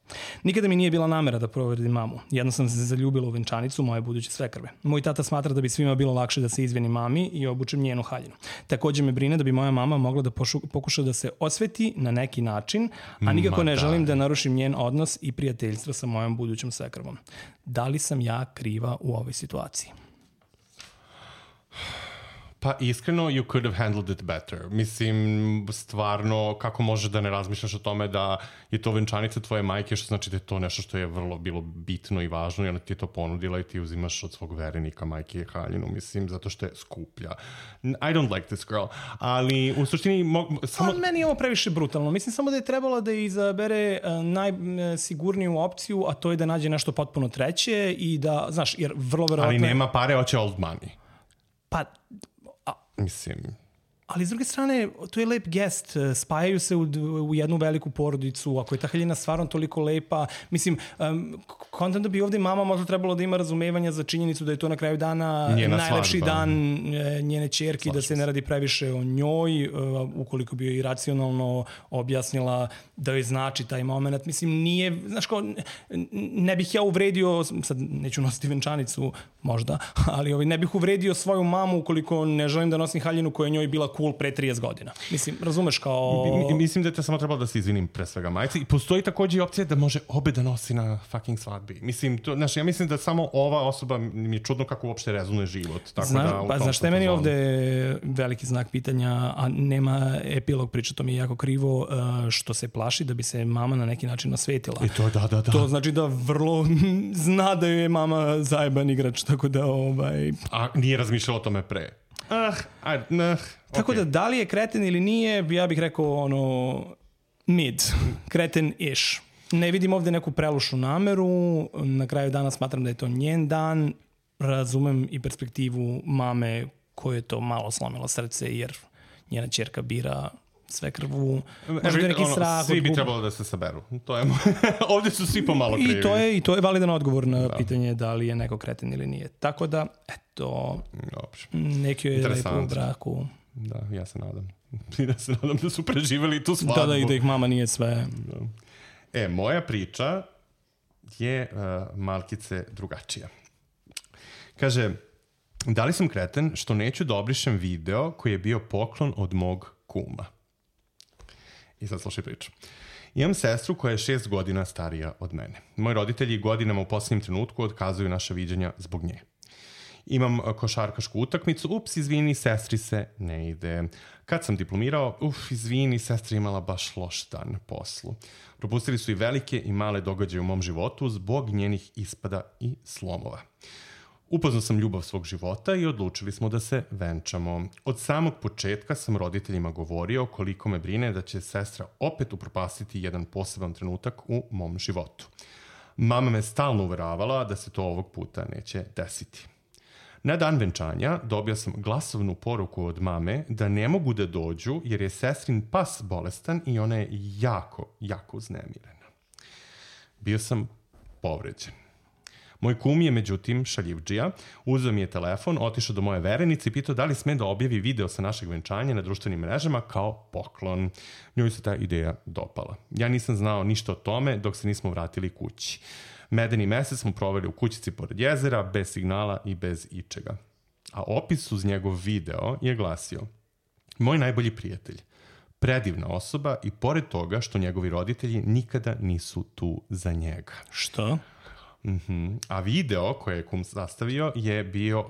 Nikada mi nije bila namera da povredim mamu. Jedno sam se zaljubila u venčanicu moje buduće svekrve. Moj tata smatra da bi svima bilo lakše da se izvini mami i obučem njenu haljinu. Također me brine da bi moja mama mogla da pokuša da se osveti na neki način, a nikako ne želim da narušim njen odnos i prijateljstvo sa mojom budućom svekrvom. Da li sam ja kriva u ovoj situaciji? Pa iskreno, you could have handled it better. Mislim, stvarno, kako možeš da ne razmišljaš o tome da je to venčanica tvoje majke, što znači da je to nešto što je vrlo bilo bitno i važno i ona ti je to ponudila i ti uzimaš od svog verenika majke haljinu, mislim, zato što je skuplja. I don't like this girl, ali u suštini... Meni je ovo previše brutalno. Mislim samo da je trebalo da izabere najsigurniju opciju, a to je da nađe nešto potpuno treće i da, znaš, jer vrlo verovatno... Ali nema pare, hoće old money. Pa... Mislim... Ali s druge strane, to je lep gest, spajaju se u jednu veliku porodicu, ako je ta haljina stvarno toliko lepa, mislim, kontam da bi ovdje mama možda trebalo da ima razumevanja za činjenicu da je to na kraju dana najlepši dan njene ćerke, da se ne radi previše o njoj, ukoliko bi joj racionalno objasnila da joj znači taj moment. Mislim, nije, znaš kao, ne bih ja uvredio, sad neću nositi venčanicu možda, ali ne bih uvredio svoju mamu ukoliko ne želim da nosim haljinu koja je njoj bila cool pre 30 godina. Mislim, razumeš kao... Mislim da je to samo trebalo da se izvinim pre svega majci. I postoji također i opcija da može obe da nosi na fucking svadbi. Mislim, to, znaš, ja mislim da samo ova osoba mi je čudno kako uopšte rezonuje život. Tako znaš šta je meni ovde veliki znak pitanja, a nema epilog priča, to mi je jako krivo, što se plaši da bi se mama na neki način osvetila. I to, da. To znači da vrlo zna da je mama zajeban igrač, tako da... A nije razmišljala o tome pre? Tako da li je kreten ili nije, ja bih rekao Mid, kreten-ish. Ne vidim ovde neku prelušnu nameru, na kraju dana smatram da je to njen dan, razumem i perspektivu mame koje je to malo slomilo srce jer njena ćerka bira sve krvu, možda je neki strah. Svi bi trebalo da se saberu. To je ovde su svi pomalo krivi. I to je validan odgovor na pitanje da li je neko kreten ili nije. Tako da, eto, neki je lepo u braku. Da, ja se nadam. Da su preživeli tu svadbu. Da, i da ih mama nije sve. Da. Moja priča je malkice drugačija. Kaže, da li sam kreten što neću da obrišem video koji je bio poklon od mog kuma? I sad slušaj priču. Imam sestru koja je 6 godina starija od mene. Moji roditelji godinama u posljednjem trenutku otkazuju naša viđanja zbog nje. Imam košarkašku utakmicu, izvini, sestri se ne ide. Kad sam diplomirao, izvini, sestra imala baš loš dan na poslu. Propustili su i velike i male događaje u mom životu zbog njenih ispada i slomova. Upoznao sam ljubav svog života i odlučili smo da se venčamo. Od samog početka sam roditeljima govorio koliko me brine da će sestra opet upropastiti jedan poseban trenutak u mom životu. Mama me stalno uveravala da se to ovog puta neće desiti. Na dan venčanja dobio sam glasovnu poruku od mame da ne mogu da dođu jer je sestrin pas bolestan i ona je jako, jako uznemirena. Bio sam povređen. Moj kum je, međutim, šaljivdžija, uzeo mi je telefon, otišao do moje verenice i pitao da li sme da objavi video sa našeg venčanja na društvenim mrežama kao poklon. Njoj se ta ideja dopala. Ja nisam znao ništa o tome dok se nismo vratili kući. Medeni mesec smo proveli u kućici pored jezera, bez signala i bez ičega. A opis uz njegov video je glasio: moj najbolji prijatelj, predivna osoba i pored toga što njegovi roditelji nikada nisu tu za njega. Što? A video koje je kum sastavio je bio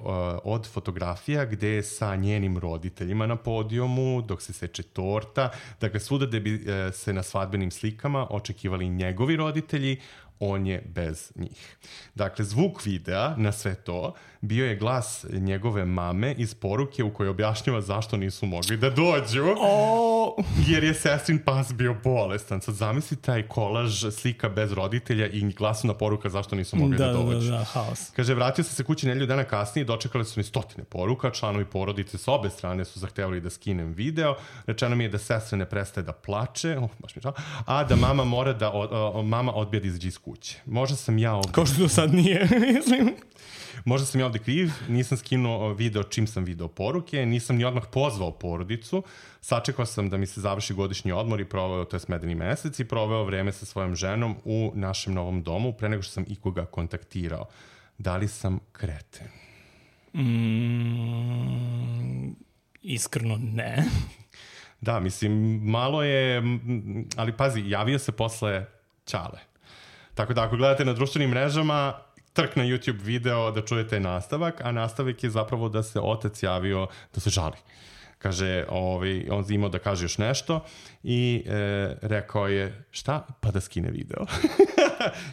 od fotografija gde je sa njenim roditeljima na podijumu dok se seče torta. Dakle, svuda gde bi se na svadbenim slikama očekivali njegovi roditelji, on je bez njih. Dakle, zvuk videa na sve to bio je glas njegove mame iz poruke u kojoj objašnjava zašto nisu mogli da dođu. Jer je sestrin pas bio bolestan. Sad zamisli taj kolaž slika bez roditelja i glasna poruka zašto nisu mogli da dođu. Da, haos. Kaže, vratio sam se kući nedelju dana kasnije i dočekali su mi 100 poruka. Članovi porodice s obe strane su zahtevali da skinem video. Rečeno mi je da sestra ne prestaje da plače, baš mi žao, a da mama mora da mama odbija da izađe iz kuće. Možda sam ja ovde... Kao što to sad nije, mislim. Možda sam ja ovde kriv, nisam skinuo video čim sam video poruke, nisam ni odmah pozvao porodicu, sačekao sam da mi se završi godišnji odmor i proveo, to je medeni mesec, i proveo vreme sa svojom ženom u našem novom domu pre nego što sam ikoga kontaktirao. Da li sam kreten? Iskreno ne. Da, mislim, malo je, ali pazi, javio se posle Ćale. Tako da ako gledate na društvenim mrežama, trk na YouTube video da čujete nastavak, a nastavak je zapravo da se otac javio da se žali. Kaže, on imao da kaže još nešto i rekao je, šta? Pa da skine video.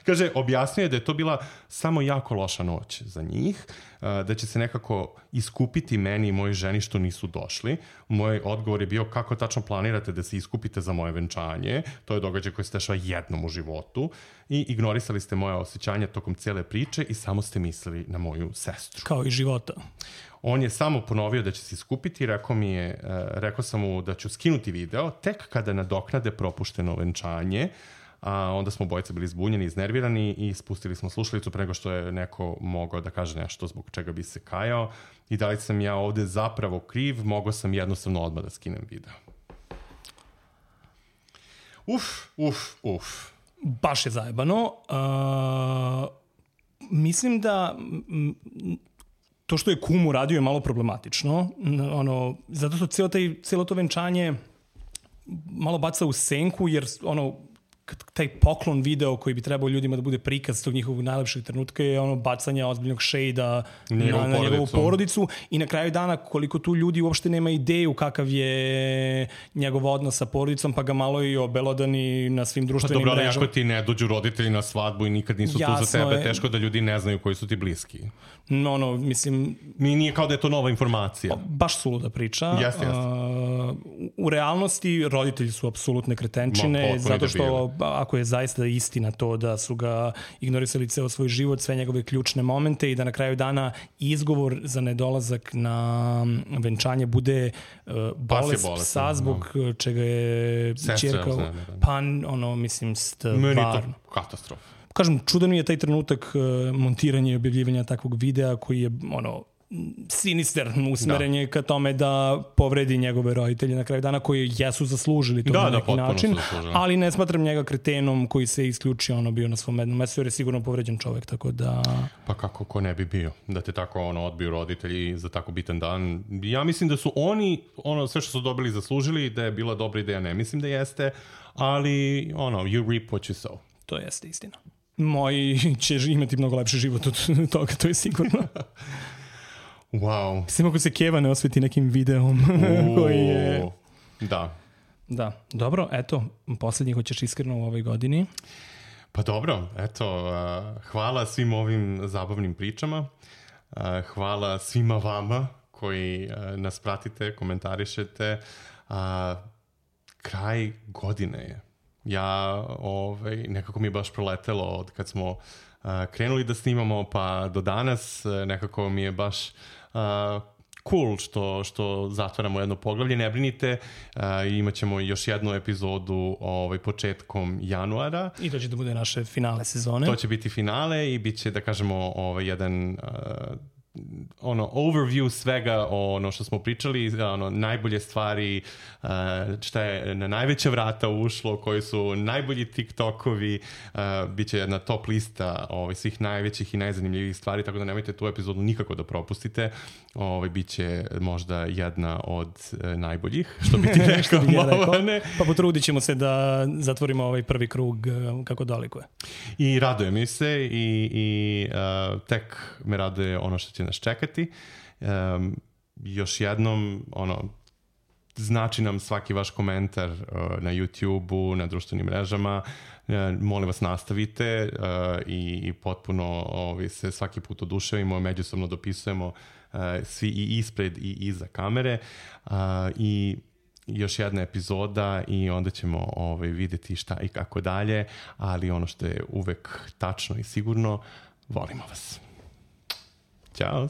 Kaže, objasnio je da je to bila samo jako loša noć za njih, da će se nekako iskupiti meni i mojoj ženi što nisu došli. Moj odgovor je bio, kako tačno planirate da se iskupite za moje venčanje? To je događaj koji se dešava jednom u životu i ignorisali ste moje osjećanja tokom cele priče i samo ste mislili na moju sestru. Kao i života. On je samo ponovio da će se iskupiti, rekao sam mu da ću skinuti video tek kada nadoknade propušteno venčanje, a onda smo obojica bili zbunjeni, iznervirani i spustili smo slušalicu pre nego što je neko mogao da kaže nešto zbog čega bi se kajao. I da li sam ja ovde zapravo kriv, mogao sam jednostavno odmah da skinem video. Baš je zajebano. Mislim da to što je kum uradio je malo problematično. Zato što cijelo to venčanje malo baca u senku, jer taj poklon video koji bi trebao ljudima da bude prikaz tog njihovog najlepšeg trenutka je ono bacanje ozbiljnog šejda na njegovu porodicu i na kraju dana koliko tu ljudi uopšte nema ideju kakav je njegov odnos sa porodicom, pa ga malo i obelodani na svim društvenim mrežama. Dobro, ako ti ne dođu roditelji na svadbu i nikad nisu tu za tebe, teško da ljudi ne znaju koji su ti bliski. Mislim... Nije kao da je to nova informacija. Baš suluda priča. Jeste. U realnosti roditelji su apsolutne kretenčine, zato što ako je zaista istina to da su ga ignorisali ceo svoj život, sve njegove ključne momente i da na kraju dana izgovor za nedolazak na venčanje bude bolest psa zbog čega je ćerka... Pa, mislim, stvarno. Meni je to katastrofa. Kažem, čudan je taj trenutak montiranja i objavljivanja takvog videa koji je sinisterno usmerenje ka tome da povredi njegove roditelje na kraju dana koji jesu zaslužili to na neki način, ali ne smatram njega kretenom koji se isključio bio na svom jednom mestu jer je sigurno povređen čovek, tako da... Pa kako ko ne bi bio, da te tako odbiju roditelji za tako bitan dan. Ja mislim da su oni, sve što su dobili zaslužili, da je bila dobra ideja, ne mislim da jeste, ali you reap what you sow. To jeste istina. Moji će imati mnogo lepši život od toga, to je sigurno. Wow. Mislim ako se Keva ne osveti nekim videom koji je... Da. Dobro, eto, poslednji hoćeš iskreno u ovoj godini. Pa dobro, eto, hvala svim ovim zabavnim pričama. Hvala svima vama koji nas pratite, komentarišete. Kraj godine je. Ja, nekako mi je baš proletelo od kad smo krenuli da snimamo pa do danas, nekako mi je baš cool što zatvaramo jedno poglavlje. Ne brinite, imat ćemo još jednu epizodu početkom januara. I to će da bude naše finale sezone. To će biti finale i bit će, da kažemo, jedan... overview svega što smo pričali, najbolje stvari, šta je na najveća vrata ušlo, koji su najbolji TikTokovi, bit će jedna top lista svih najvećih i najzanimljivih stvari, tako da nemojte tu epizodu nikako da propustite. Bit će možda jedna od najboljih, što bi ti rekao. Pa potrudit ćemo se da zatvorimo ovaj prvi krug kako dolikuje. I raduje mi se i tek me raduje ono što će nas čekati. Još jednom, znači nam svaki vaš komentar na YouTube-u, na društvenim mrežama. Molim vas, nastavite i potpuno se svaki put oduševimo, međusobno dopisujemo svi i ispred i iza kamere. I još jedna epizoda i onda ćemo vidjeti šta i kako dalje, ali ono što je uvek tačno i sigurno, volimo vas. Ćao!